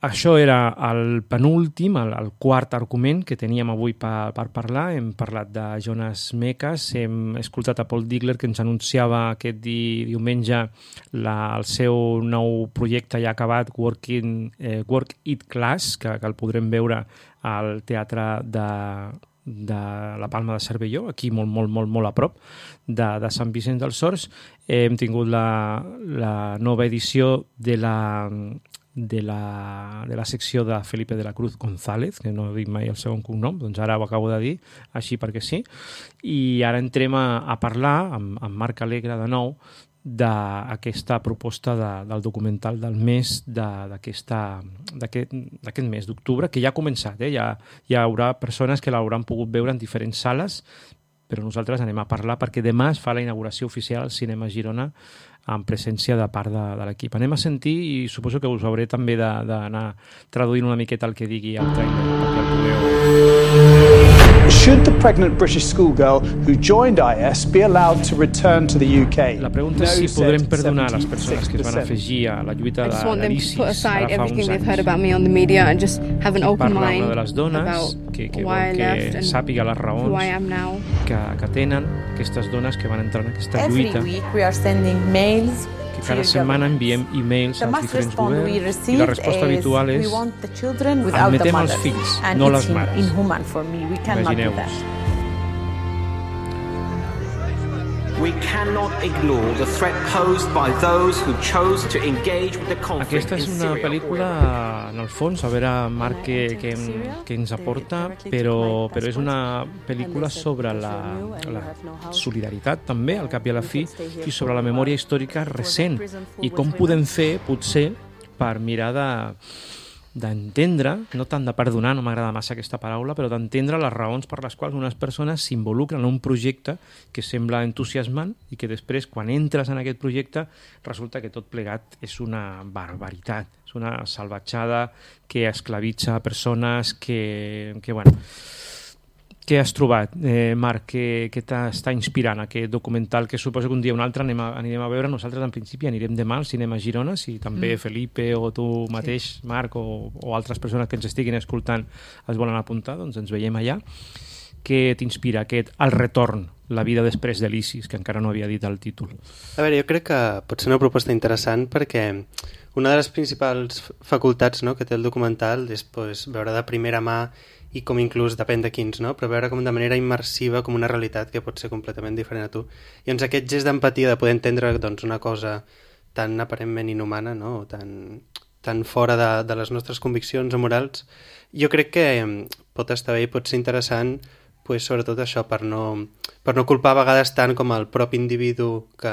Això era el penúltim, el, el quart argument que teníem avui per, per parlar. Hem parlat de Jonas Mekas, hem escoltat a Paul Digler, que ens anunciava aquest di, diumenge la, el seu nou projecte ja acabat, Working, eh, Work It Class, que, que el podrem veure al Teatre de, de la Palma de Cervelló, aquí molt, molt, molt, molt a prop de, de Sant Vicenç dels Horts. Hem tingut la, la nova edició de la... De la, de la secció de Felipe de la Cruz González, que no dic mai el segon cognom, doncs ara ho acabo de dir, així perquè sí. I ara entrem a, a parlar amb, amb Marc Alegre de nou d'aquesta proposta de, del documental del mes d'aquest mes d'octubre, que ja ha començat, eh? ja, hi haurà persones que l'hauran pogut veure en diferents sales, però nosaltres anem a parlar perquè demà es fa la inauguració oficial al Cinema Girona en presència de part de, de l'equip. Anem a sentir i suposo que us hauré també d'anar traduint una miqueta el que digui el trailer perquè el podeu... Should the pregnant British schoolgirl who joined I S be allowed to return to the U K? La pregunta és si podrem perdonar les persones que es van afegir a la lluita de l'ISIS ara fa uns anys. Parla una de les dones que, que vol que sàpiga les raons que, que tenen aquestes dones que van entrar en aquesta lluita. Que cada setmana enviem e-mails als diferents governs i la resposta habitual és admetem els fills, no les mares. Imagineu-vos. We cannot ignore the threat posed by those who chose to engage with the conflict Aquesta és una pel·lícula, en el fons, a veure, Marc, què, què, què ens aporta, però, però és una pel·lícula sobre la, la solidaritat, també, al cap i a la fi, i sobre la memòria històrica recent, i com podem fer, potser, per mirar de d'entendre, no tant de perdonar, no m'agrada massa aquesta paraula, però d'entendre les raons per les quals unes persones s'involucren en un projecte que sembla entusiasmant i que després, quan entres en aquest projecte, resulta que tot plegat és una barbaritat, és una salvatjada que esclavitza persones, que, que bueno... Què has trobat, eh, Marc? Què, què t'està inspirant aquest documental que suposo que un dia o un altre anem a, anirem a veure? Nosaltres, en principi, anirem demà al cinema Girona, si també mm. Felipe o tu mateix, sí. Marc, o, o altres persones que ens estiguin escoltant es volen apuntar, doncs ens veiem allà. Què t'inspira aquest El retorn, la vida després de l'ISIS, que encara no havia dit el títol? A veure, jo crec que pot ser una proposta interessant perquè una de les principals facultats, no, que té el documental és pues, veure de primera mà i com inclús depèn de quins, no? Però veure com de manera immersiva com una realitat que pot ser completament diferent a tu. I doncs aquest gest d'empatia de poder entendre doncs, una cosa tan aparentment inhumana, no? O tan, tan fora de, de les nostres conviccions o morals, jo crec que pot estar bé i pot ser interessant pues, sobretot això, per no, per no culpar a vegades tant com el propi individu que,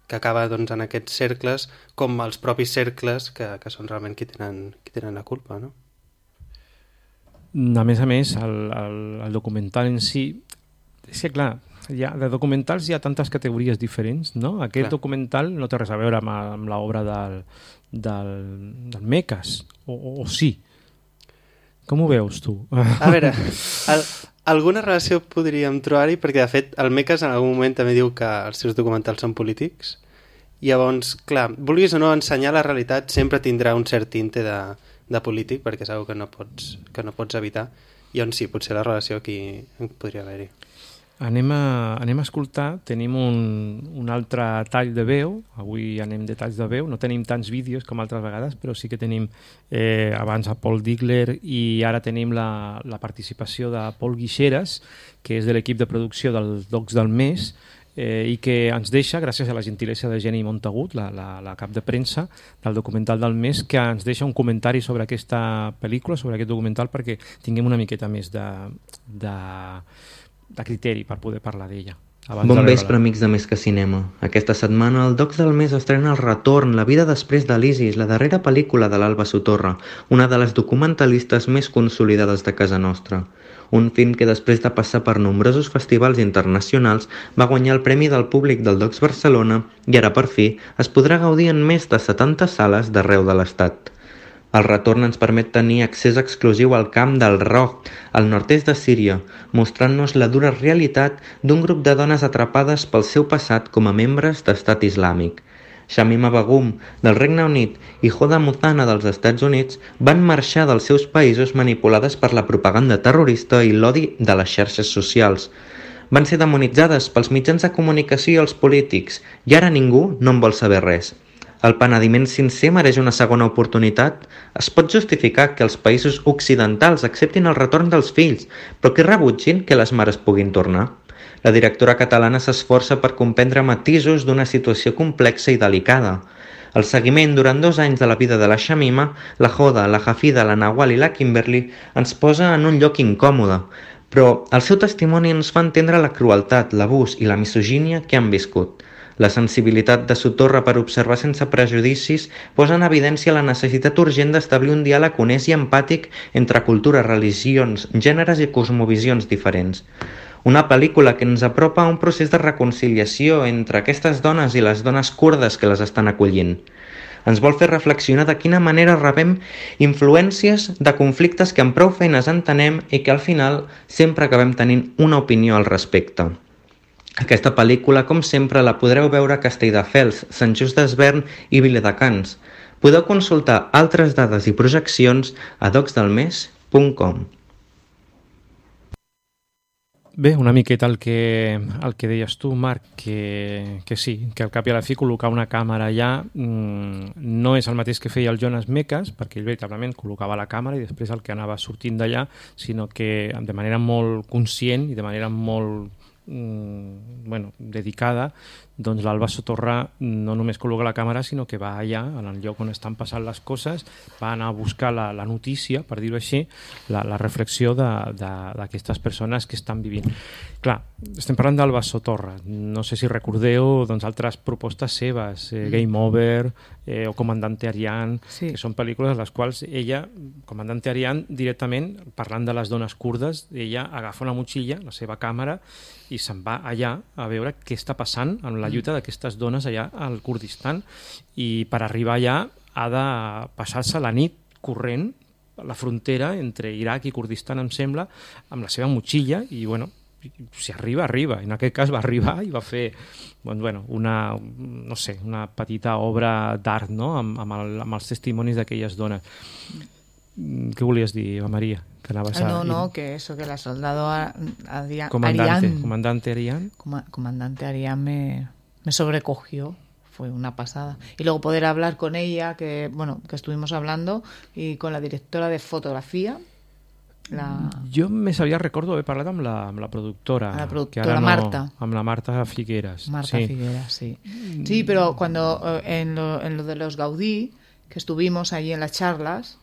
que acaba doncs, en aquests cercles com els propis cercles que, que són realment qui tenen, qui tenen la culpa, no? A més a més, el, el, el documental en si... És que, clar, hi ha, de documentals hi ha tantes categories diferents, no? Aquest clar. Documental no té res a veure amb, amb l'obra del, del, del Mekas, o, o, o sí? Com ho veus, tu? A veure, el, alguna relació podríem trobar-hi, perquè, de fet, el Mekas en algun moment també diu que els seus documentals són polítics. Llavors, clar, vulguis o no ensenyar la realitat, sempre tindrà un cert tinte de... de polític, perquè és una que no pots, que no pots evitar, i on sí, potser la relació aquí podria haver-hi. Anem a, anem a escoltar, tenim un, un altre tall de veu, avui anem de talls de veu, no tenim tants vídeos com altres vegades, però sí que tenim eh, abans a Paul Digler i ara tenim la, la participació de Paul Guixeras, que és de l'equip de producció dels Docs del Mes, Eh, i que ens deixa, gràcies a la gentilesa de Jenny Montagut, la, la, la cap de premsa del documental del mes, que ens deixa un comentari sobre aquesta pel·lícula, sobre aquest documental, perquè tinguem una miqueta més de, de, de criteri per poder parlar d'ella. Bon vespre, amics de Més que Cinema. Aquesta setmana el Docs del Mes estrena El retorn, la vida després de l'ISIS, la darrera pel·lícula de l'Alba Sotorra, una de les documentalistes més consolidades de casa nostra. Un film que després de passar per nombrosos festivals internacionals va guanyar el Premi del Públic del Docs Barcelona i ara per fi es podrà gaudir en més de setanta sales d'arreu de l'Estat. El retorn ens permet tenir accés exclusiu al camp del Roh, al nord-est de Síria, mostrant-nos la dura realitat d'un grup de dones atrapades pel seu passat com a membres d'Estat Islàmic. Shamima Begum, del Regne Unit, i Hoda Muthana, dels Estats Units, van marxar dels seus països manipulades per la propaganda terrorista i l'odi de les xarxes socials. Van ser demonitzades pels mitjans de comunicació i els polítics, i ara ningú no en vol saber res. El penediment sincer mereix una segona oportunitat? Es pot justificar que els països occidentals acceptin el retorn dels fills, però que rebutgin que les mares puguin tornar? La directora catalana s'esforça per comprendre matisos d'una situació complexa i delicada. El seguiment durant dos anys de la vida de la Shamima, la Hoda, la Hafida, la Nawal i la Kimberly ens posa en un lloc incòmode, però el seu testimoni ens fa entendre la crueltat, l'abús i la misogínia que han viscut. La sensibilitat de Sotorra per observar sense prejudicis posa en evidència la necessitat urgent d'establir un diàleg honest i empàtic entre cultures, religions, gèneres i cosmovisions diferents. Una pel·lícula que ens apropa a un procés de reconciliació entre aquestes dones i les dones kurdes que les estan acollint. Ens vol fer reflexionar de quina manera rebem influències de conflictes que amb prou feines entenem i que al final sempre acabem tenint una opinió al respecte. Aquesta pel·lícula, com sempre, la podreu veure a Castelldefels, Sant Just Desvern i Viladecans. Podeu consultar altres dades i projeccions a docs del mes punt com. Bé, una miqueta el que, el que deies tu, Marc, que, que sí, que al cap i a la fi col·locar una càmera allà mmm, no és el mateix que feia el Jonas Mekas, perquè ell veritablement col·locava la càmera i després el que anava sortint d'allà, sinó que de manera molt conscient i de manera molt mmm, bueno, dedicada, doncs l'Alba Sotorra no només col·loca la càmera, sinó que va allà, en el lloc on estan passant les coses, va anar a buscar la, la notícia, per dir-ho així, la, la reflexió d'aquestes persones que estan vivint. Clar, estem parlant d'Alba Sotorra. No sé si recordeu doncs, altres propostes seves, eh, Game Over eh, o Comandante Ariane, sí. que són pel·lícules en les quals ella, Comandante Ariane, directament, parlant de les dones kurdes, ella agafa una motxilla, la seva càmera, i se'n va allà a veure què està passant amb la lluita d'aquestes dones allà al Kurdistan, i per arribar allà ha de passar-se la nit corrent a la frontera entre Iraq i Kurdistan, em sembla, amb la seva motxilla, i bueno, si arriba, arriba. En aquest cas va arribar i va fer doncs, bueno, una, no sé, una petita obra d'art, no? amb, amb, el, amb els testimonis d'aquelles dones. Què volies dir, Maria? Que anaves a... No, no, que eso, que la soldado Ariane... Comandante, Comandante Ariane. Comandante Ariane me, me sobrecogió, fue una pasada. Y luego poder hablar con ella, que bueno, que estuvimos hablando, y con la directora de fotografía. La... Jo més aviat recordo haver parlat amb la, amb la productora. La productora, que ara no, Marta. Amb la Marta Figueras. Marta sí. Figueras, sí. Sí, pero cuando eh, en, lo, en lo de los Gaudí, que estuvimos allí en las charlas...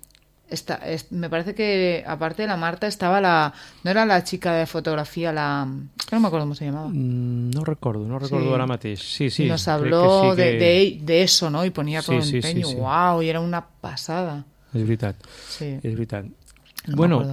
Esta, es, me parece que aparte de la Marta estaba la... No era la chica de fotografía, la... No me acuerdo cómo se llamaba. Mm, no recuerdo, no recuerdo sí. ahora mateix. Sí, sí, y nos habló sí que... de, de, de eso, ¿no? Y ponía todo sí, sí, empeño. Sí, sí. ¡Wow! Y era una pasada. És veritat. Sí. És veritat. No bueno,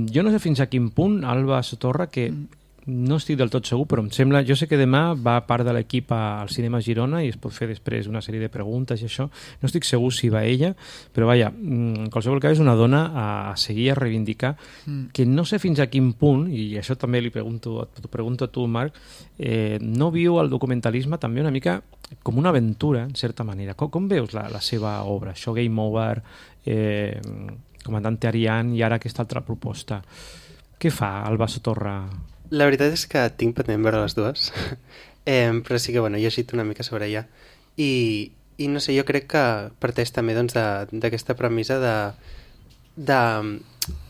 jo no sé fins a quin punt Alba Sotorra, que mm. no estic del tot segur, però em sembla... Jo sé que demà va part de l'equip al Cinema Girona i es pot fer després una sèrie de preguntes i això. No estic segur si va ella, però vaja, en qualsevol cas és una dona a seguir, a reivindicar, mm. que no sé fins a quin punt, i això també li pregunto, t'ho pregunto a tu, Marc, eh, no viu el documentalisme també una mica com una aventura, en certa manera. Com, com veus la, la seva obra? Això, Game Over, eh, Comandante Ariane i ara aquesta altra proposta. Què fa Alba Sotorra? La veritat és que tinc pendent veure les dues, eh, però sí que bueno, he llegit una mica sobre ella i, i no sé, jo crec que parteix també doncs, d'aquesta premissa de, de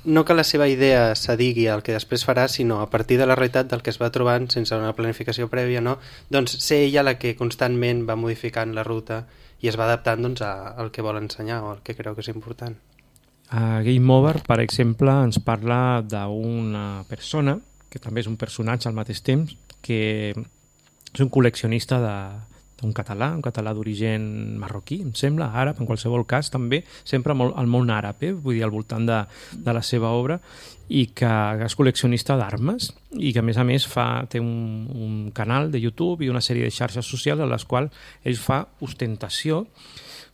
no que la seva idea s'adigui al que després farà, sinó a partir de la realitat del que es va trobant sense una planificació prèvia, no? Doncs ser ella la que constantment va modificant la ruta i es va adaptant doncs, a, al que vol ensenyar o al que creu que és important. A Game Over, per exemple, ens parla d'una persona que també és un personatge al mateix temps, que és un col·leccionista d'un català, un català d'origen marroquí, em sembla, àrab, en qualsevol cas, també, sempre al món àrab, eh? Vull dir, al voltant de, de la seva obra, i que és col·leccionista d'armes, i que a més a més fa, té un, un canal de YouTube i una sèrie de xarxes socials en les quals ell fa ostentació,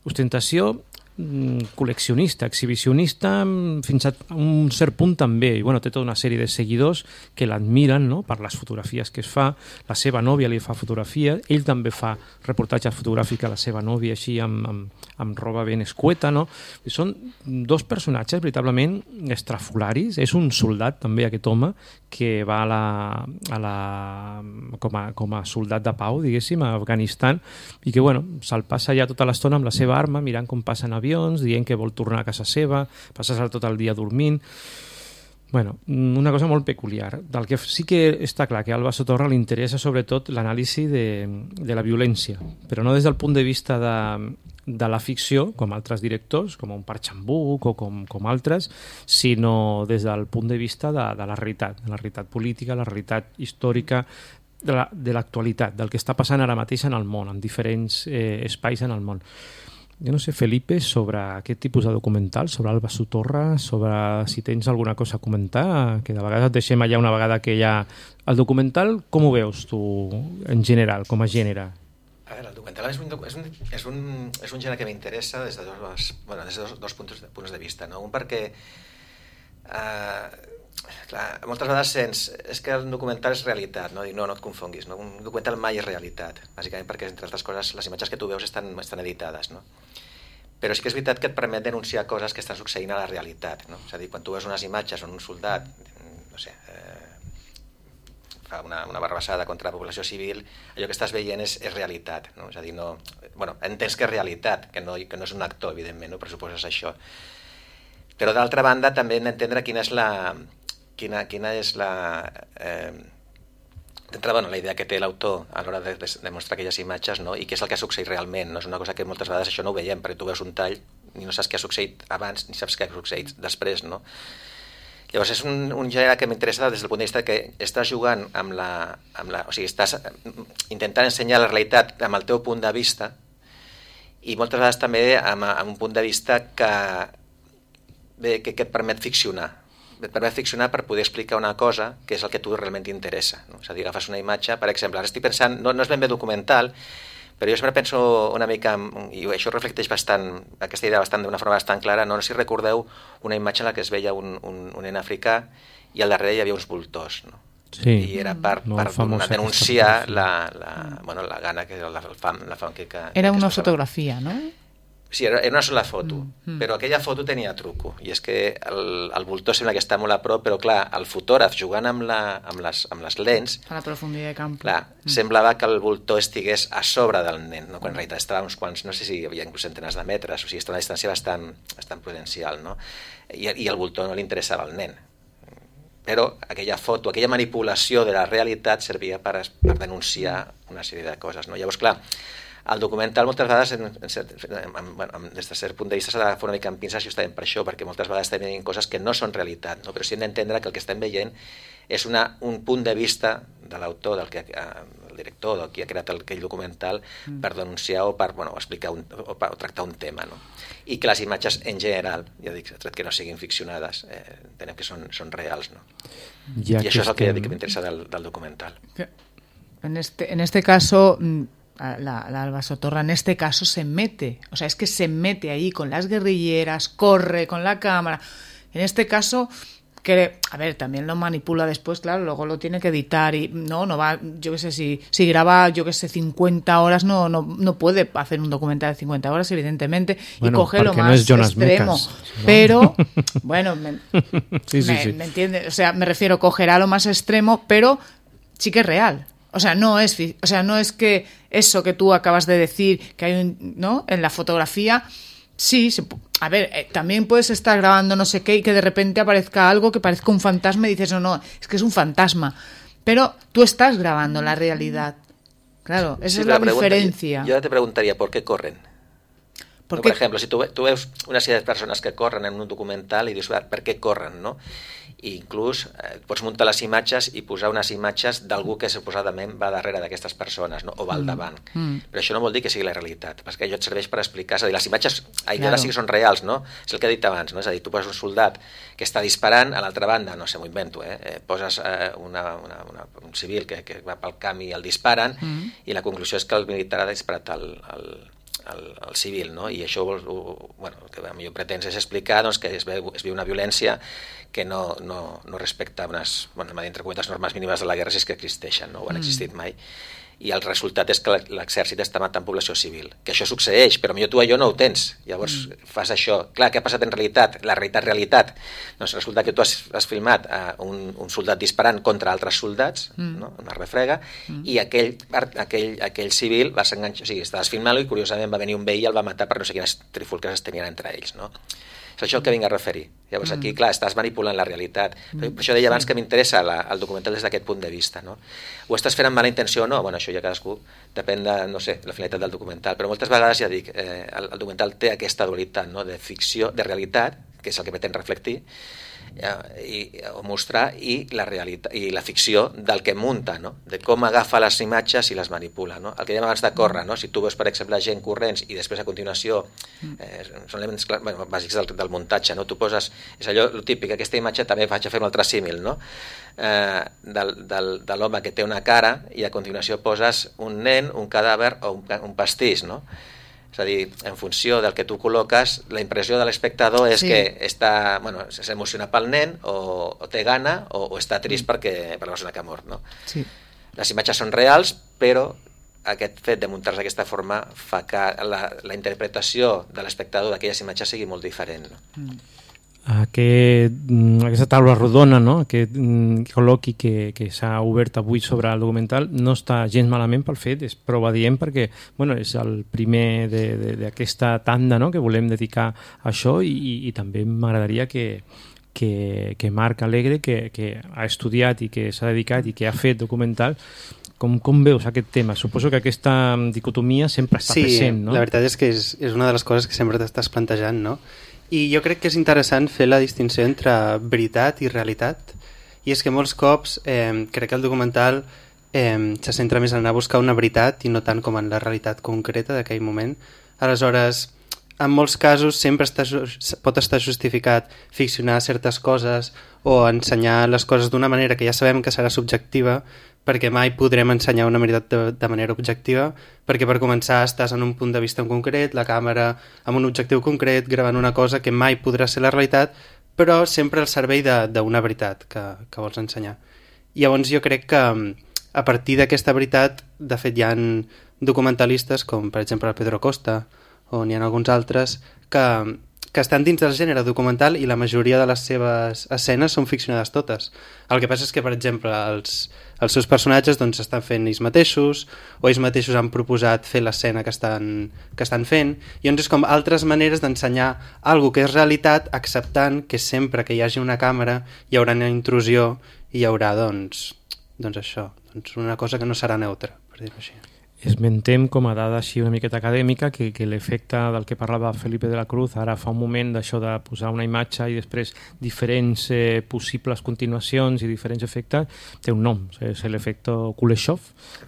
ostentació col·leccionista, exhibicionista, fins a un cert punt també, i bueno, té tota una sèrie de seguidors que l'admiren, no?, per les fotografies que es fa. La seva nòvia li fa fotografia, ell també fa reportatges fotogràfics a la seva nòvia així amb, amb, amb roba ben escueta, no? I són dos personatges veritablement estrafolaris. És un soldat també aquest home que va a la, a la, com, a, com a soldat de pau, diguéssim, a Afganistan, i que bueno, se'l passa ja tota l'estona amb la seva arma mirant com passen avions, dient que vol tornar a casa seva, passar-se tot el dia dormint. Bueno, una cosa molt peculiar. Del que sí que està clar que a Alba Sotorra li interessa sobretot l'anàlisi de, de la violència, però no des del punt de vista de, de la ficció, com altres directors, com un Park Chan-wook o com, com altres, sinó des del punt de vista de, de la realitat, de la realitat política, la realitat històrica, de la, de l'actualitat, del que està passant ara mateix en el món, en diferents eh, espais en el món. Jo no sé, Felipe, sobre aquest tipus de documental, sobre Alba Sotorra, sobre si tens alguna cosa a comentar, que de vegades et deixem allà una vegada que hi ha... El documental, com ho veus tu, en general, com a gènere? A veure, el documental és un, és un, és un, és un gènere que m'interessa des de dos, bueno, des de dos, dos punts, punts de vista, no? Un perquè eh, clar, moltes vegades sents és que el documental és realitat, no? Dic, no, no et confonguis, no? Un documental mai és realitat, bàsicament perquè, entre altres coses, les imatges que tu veus estan, estan editades, no? Però sí que és veritat que et permet denunciar coses que estan succeint a la realitat, no? És a dir, quan tu veus unes imatges on un soldat, no sé, eh, fa una, una barrabassada contra la població civil, allò que estàs veient és, és realitat, no? És a dir, no... Bueno, entens que és realitat, que no, que no és un actor, evidentment, no pressuposes això. Però d'altra banda també hem d'entendre quina és la... Quina, quina és la... Eh, d'entrada, bueno, la idea que té l'autor a l'hora de, de, de mostrar aquelles imatges, no? I què és el que ha succeït realment, no? És una cosa que moltes vegades això no ho veiem, perquè tu veus un tall i no saps què ha succeït abans ni saps què ha succeït després, no? Llavors és un, un gènere que m'interessa des del punt de vista que estàs jugant amb la, amb la... O sigui, estàs intentant ensenyar la realitat amb el teu punt de vista i moltes vegades també amb, amb un punt de vista que, bé, que, que et permet ficcionar. Et permet ficcionar per poder explicar una cosa que és el que a tu realment t'interessa, no? És a dir, agafes una imatge, per exemple, ara estic pensant, no, no és ben bé documental, però jo sempre penso una mica, i això reflecteix bastant, aquesta idea bastant d'una forma bastant clara, no, no sé si recordeu una imatge en la que es veia un, un, un nen africà i al darrere hi havia uns voltors, no? Sí, i era per, per denunciar la, la, bueno, la gana, que era la fam, la fam que, que... Era una que fotografia, no? Sí, era una sola foto, mm, mm. però aquella foto tenia truco, i és que el, el voltor sembla que està molt a prop, però clar, el fotògraf jugant amb, la, amb, les, amb les lents... A la profunditat de camp. Clar, mm. semblava que el voltor estigués a sobre del nen, no? Quan en realitat estava uns quants, no sé si hi havia inclús centenars de metres, o sigui, està una distància bastant, bastant prudencial, no? I, i el voltor no li interessava al nen. Però aquella foto, aquella manipulació de la realitat servia per, per denunciar una sèrie de coses, no? Llavors, clar, el documental moltes vegades, en, en, en, bueno, des de cert punt de vista, s'ha d'agafar una mica amb pinces justament per això, perquè moltes vegades estem veient coses que no són realitat, no? Però sí hem d'entendre que el que estem veient és una, un punt de vista de l'autor, del que, el director, del qui ha creat el, aquell documental, mm. per denunciar o per bueno, explicar un, o, per, o tractar un tema, no? I que les imatges en general, ja dic, tret que no siguin ficcionades, eh, entenem que són, són reals, no? Ja I això és el que ja dic que m'interessa del, del documental. En este, en este caso... La, la Alba Sotorra en este caso se mete, o sea, es que se mete ahí con las guerrilleras, corre con la cámara. En este caso, que, a ver, también lo manipula después, claro, luego lo tiene que editar y no, no va, yo qué sé, si, si graba, yo qué sé, cincuenta horas, no, no, no puede hacer un documental de cincuenta horas, evidentemente, bueno, y coge lo más no es Jonas extremo. Mekas, ¿no? Pero, bueno, me, sí, sí, me, sí. me entiende, o sea, me refiero, cogerá lo más extremo, pero sí que es real. O sea, no es, o sea, no es que eso que tú acabas de decir, que hay un, ¿no? En la fotografía, sí, se, a ver, eh, también puedes estar grabando no sé qué y que de repente aparezca algo que parezca un fantasma y dices, no, no, es que es un fantasma. Pero tú estás grabando la realidad. Claro, esa sí, es la, la diferencia. Yo te preguntaría, ¿por qué corren? ¿Por, no, qué? Por ejemplo, si tú, tú ves una serie de personas que corren en un documental i dius, per què corren, no? I inclús eh, pots muntar les imatges i posar unes imatges d'algú que suposadament va darrere d'aquestes persones, no? O va al davant. Mm. Però això no vol dir que sigui la realitat, perquè allò et serveix per explicar, és a dir, les imatges allò claro. Sí que són reals, no? És el que he dit abans, no? És a dir, tu poses un soldat que està disparant, a l'altra banda, no sé, m'ho invento, eh? eh poses eh, una, una, una, un civil que, que va pel camp i el disparen, mm. i la conclusió és que el militar ha disparat el, el El, el civil, no? I això vol, bueno, el que a mi pretens és explicar doncs, que es veu, es viu una violència que no, no, no respecta unes, bueno, entre cometes, normes mínimes de la guerra si és que existeixen, no? O han existit mai. I el resultat és que l'exèrcit està matant població civil. Que això succeeix, però millor tu allò no ho tens. Llavors mm. fas això. Clar, què ha passat en realitat? La realitat, realitat. Doncs resulta que tu has, has filmat uh, un, un soldat disparant contra altres soldats, mm. no? Una refrega, mm. i aquell, aquell, aquell civil va s'enganxar, o sigui, estaves filmant-lo i curiosament va venir un veí i el va matar per no sé quines trifulques es tenien entre ells, no? És això el que vinc a referir. Llavors aquí, clar, estàs manipulant la realitat. Per això deia abans que m'interessa la, el documental des d'aquest punt de vista, no? Ho estàs fent amb mala intenció o no? Bueno, això ja cadascú depèn de, no sé, la finalitat del documental, però moltes vegades, ja dic, eh, el, el documental té aquesta dualitat, no? De ficció, de realitat, que és el que pretén reflectir, i, o mostrar, i la realitat i la ficció del que munta, no? De com agafa les imatges i les manipula, no? El que dèiem abans de córrer, no? Si tu veus, per exemple, gent corrents i després a continuació eh, són elements clar, bueno, bàsics del, del muntatge, no? Tu poses, és allò el típic, aquesta imatge també vaig a fer un altre símil, no? Eh, del, del, de l'home que té una cara i a continuació poses un nen, un cadàver o un, un pastís, no? És a dir, en funció del que tu col·loques, la impressió de l'espectador és sí. que està, bueno, s'emociona pel nen o, o té gana o, o està trist mm. perquè, per la persona que ha mort, no? Sí. Les imatges són reals, però aquest fet de muntar-se d'aquesta forma fa que la, la interpretació de l'espectador d'aquelles imatges sigui molt diferent, no? Mm. Aquest, aquesta taula rodona, no? Aquest col·loqui que, que s'ha obert avui sobre el documental no està gens malament pel fet, és prou adient perquè bueno, és el primer d'aquesta tanda, no? Que volem dedicar a això i, i, i també m'agradaria que, que, que Marc Alegre, que, que ha estudiat i que s'ha dedicat i que ha fet documental, com, com veus aquest tema? Suposo que aquesta dicotomia sempre està sí, present, no? Sí, la veritat és que és, és una de les coses que sempre t'estàs plantejant, no? I jo crec que és interessant fer la distinció entre veritat i realitat, i és que molts cops eh, crec que el documental eh, se centra més en anar a buscar una veritat i no tant com en la realitat concreta d'aquell moment. Aleshores, en molts casos sempre està, pot estar justificat ficcionar certes coses o ensenyar les coses d'una manera que ja sabem que serà subjectiva, perquè mai podrem ensenyar una veritat de, de manera objectiva, perquè per començar estàs en un punt de vista en concret, la càmera amb un objectiu concret, gravant una cosa que mai podrà ser la realitat, però sempre al servei d'una veritat que, que vols ensenyar. I llavors jo crec que a partir d'aquesta veritat, de fet hi ha documentalistes com per exemple el Pedro Costa, o n'hi ha alguns altres, que, que estan dins del gènere documental i la majoria de les seves escenes són ficcionades totes. El que passa és que, per exemple, els, els seus personatges doncs, estan fent ells mateixos, o ells mateixos han proposat fer l'escena que estan, que estan fent, i llavors és com altres maneres d'ensenyar alguna que és realitat, acceptant que sempre que hi hagi una càmera hi haurà una intrusió i hi haurà, doncs, doncs això, doncs una cosa que no serà neutra, per dir-ho així. Esmentem com a dada així una miqueta acadèmica que, que l'efecte del que parlava Felipe de la Cruz ara fa un moment d'això de posar una imatge i després diferents eh, possibles continuacions i diferents efectes té un nom, és l'efecte Kuleshov,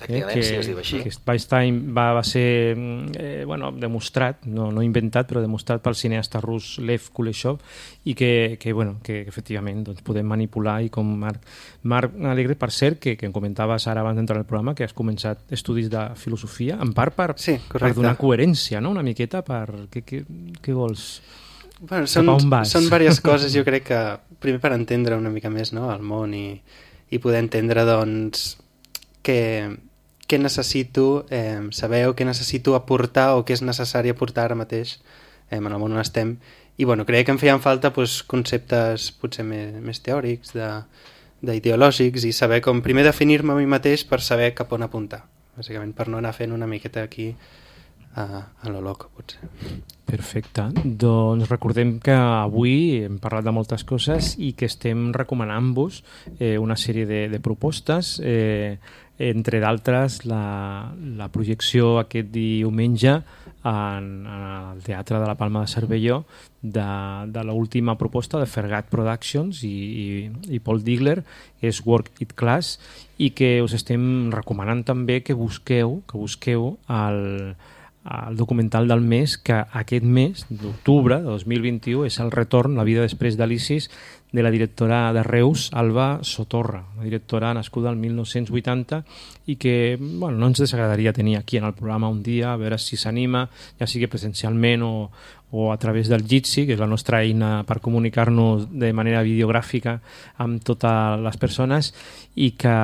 eh, que, sí, es diu així. que va, estar, va, va ser eh, bueno, demostrat, no, no inventat però demostrat pel cineasta rus Lev Kuleshov i que, que, bueno, que, que efectivament doncs, podem manipular i com Marc, Marc Alegre, per cert, que, que em comentaves ara abans d'entrar al programa que has començat estudis de filosofia, en part per, sí, per donar coherència, no? Una miqueta per... Què, què, què vols? Bueno, són, són diverses coses, jo crec que primer per entendre una mica més, no? El món i, i poder entendre doncs què, què necessito eh, saber o què necessito aportar o què és necessari aportar ara mateix eh, en el món on estem. I bueno, crec que em feien falta pues, conceptes potser més, més teòrics, de, d'ideològics i saber com primer definir-me a mi mateix per saber cap on apuntar. Bàsicament per no anar fent una miqueta aquí a, a lo loco, potser. Perfecte. Doncs recordem que avui hem parlat de moltes coses i que estem recomanant-vos eh, una sèrie de, de propostes, eh, entre d'altres la, la projecció aquest diumenge en, en el Teatre de la Palma de Cervelló de, de l'última proposta de Fergat Productions i, i, i Paul Digler, que és Work It Class, i que us estem recomanant també que busqueu, que busqueu el, el documental del mes, que aquest mes d'octubre de dos mil vint-i-u és el retorn, la vida després d'Alicis, de la directora de Reus, Alba Sotorra, una directora nascuda el mil nou-cents vuitanta i que bueno, no ens desagradaria tenir aquí en el programa un dia, a veure si s'anima, ja sigui presencialment o, o a través del Jitsi, que és la nostra eina per comunicar-nos de manera videogràfica amb totes les persones i que,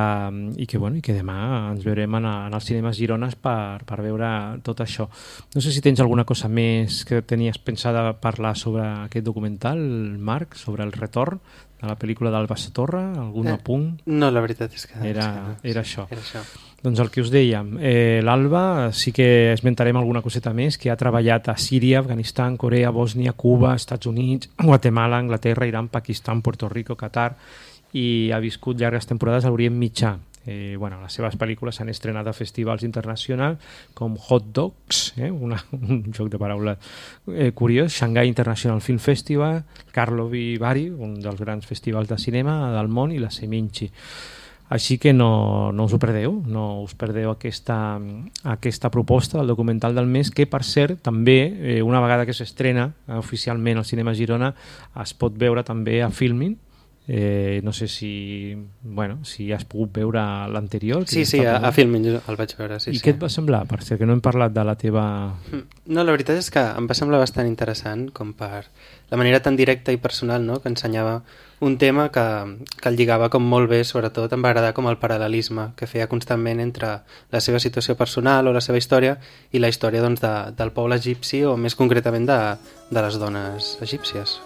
i que, bueno, i que demà ens veurem en, en els cinemes Girones per, per veure tot això. No sé si tens alguna cosa més que tenies pensada parlar sobre aquest documental, Marc, sobre el retorn de la pel·lícula d'Alba Sotorra, algun eh, apunt? No, la veritat és que... Era, és que no. era, això. era això. Doncs el que us dèiem, eh, l'Alba sí que esmentarem alguna coseta més, que ha treballat a Síria, Afganistan, Corea, Bòsnia, Cuba, Estats Units, Guatemala, Anglaterra, Iran, Pakistan, Puerto Rico, Qatar, i ha viscut llargues temporades a l'Orient Mitjà. Eh, bueno, les seves pel·lícules s'han estrenat a festivals internacionals com Hot Dogs, eh, una, un joc de paraules eh, curiós, Shanghai International Film Festival, Karlovy Vary, un dels grans festivals de cinema del món, i la Seminci. Així que no, no us ho perdeu, no us perdeu aquesta, aquesta proposta del documental del mes, que per cert també, eh, una vegada que s'estrena oficialment al Cinema Girona, es pot veure també a Filmin. Eh, no sé si, bueno, si has pogut veure l'anterior. Sí, sí, a, a Filmin jo el vaig veure. Sí, I sí. què et va semblar? Per cert, que no hem parlat de la teva... No, la veritat és que em va semblar bastant interessant, com per la manera tan directa i personal, no?, que ensenyava un tema que, que el lligava com molt bé, sobretot em va agradar com el paral·lelisme que feia constantment entre la seva situació personal o la seva història i la història, doncs, de, del poble egipci, o més concretament de, de les dones egípcies.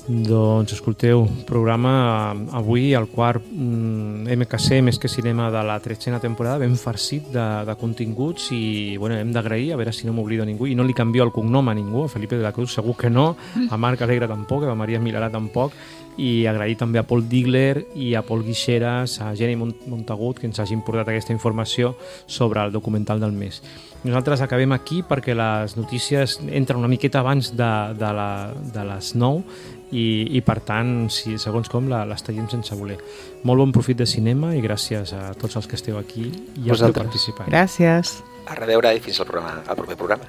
Doncs escolteu, programa avui, el quart mm, M K C, Més que Cinema, de la tretzena temporada, ben farcit de, de continguts, i bueno, hem d'agrair, a veure si no m'oblido ningú, i no li canvio el cognom a ningú, a Felipe de la Cruz segur que no, a Marc Alegre tampoc, a Maria Milarà tampoc, i agrair també a Paul Digler i a Paul Guixeras, a Jenny Montagut, que ens hagin portat aquesta informació sobre el documental del mes. Nosaltres acabem aquí perquè les notícies entren una miqueta abans de, de, la, de les nou, i, i per tant, si, segons com, la, les tallem sense voler. Molt bon profit de cinema i gràcies a tots els que esteu aquí i els que heu participat. Gràcies. A reveure i fins al, programa, al proper programa.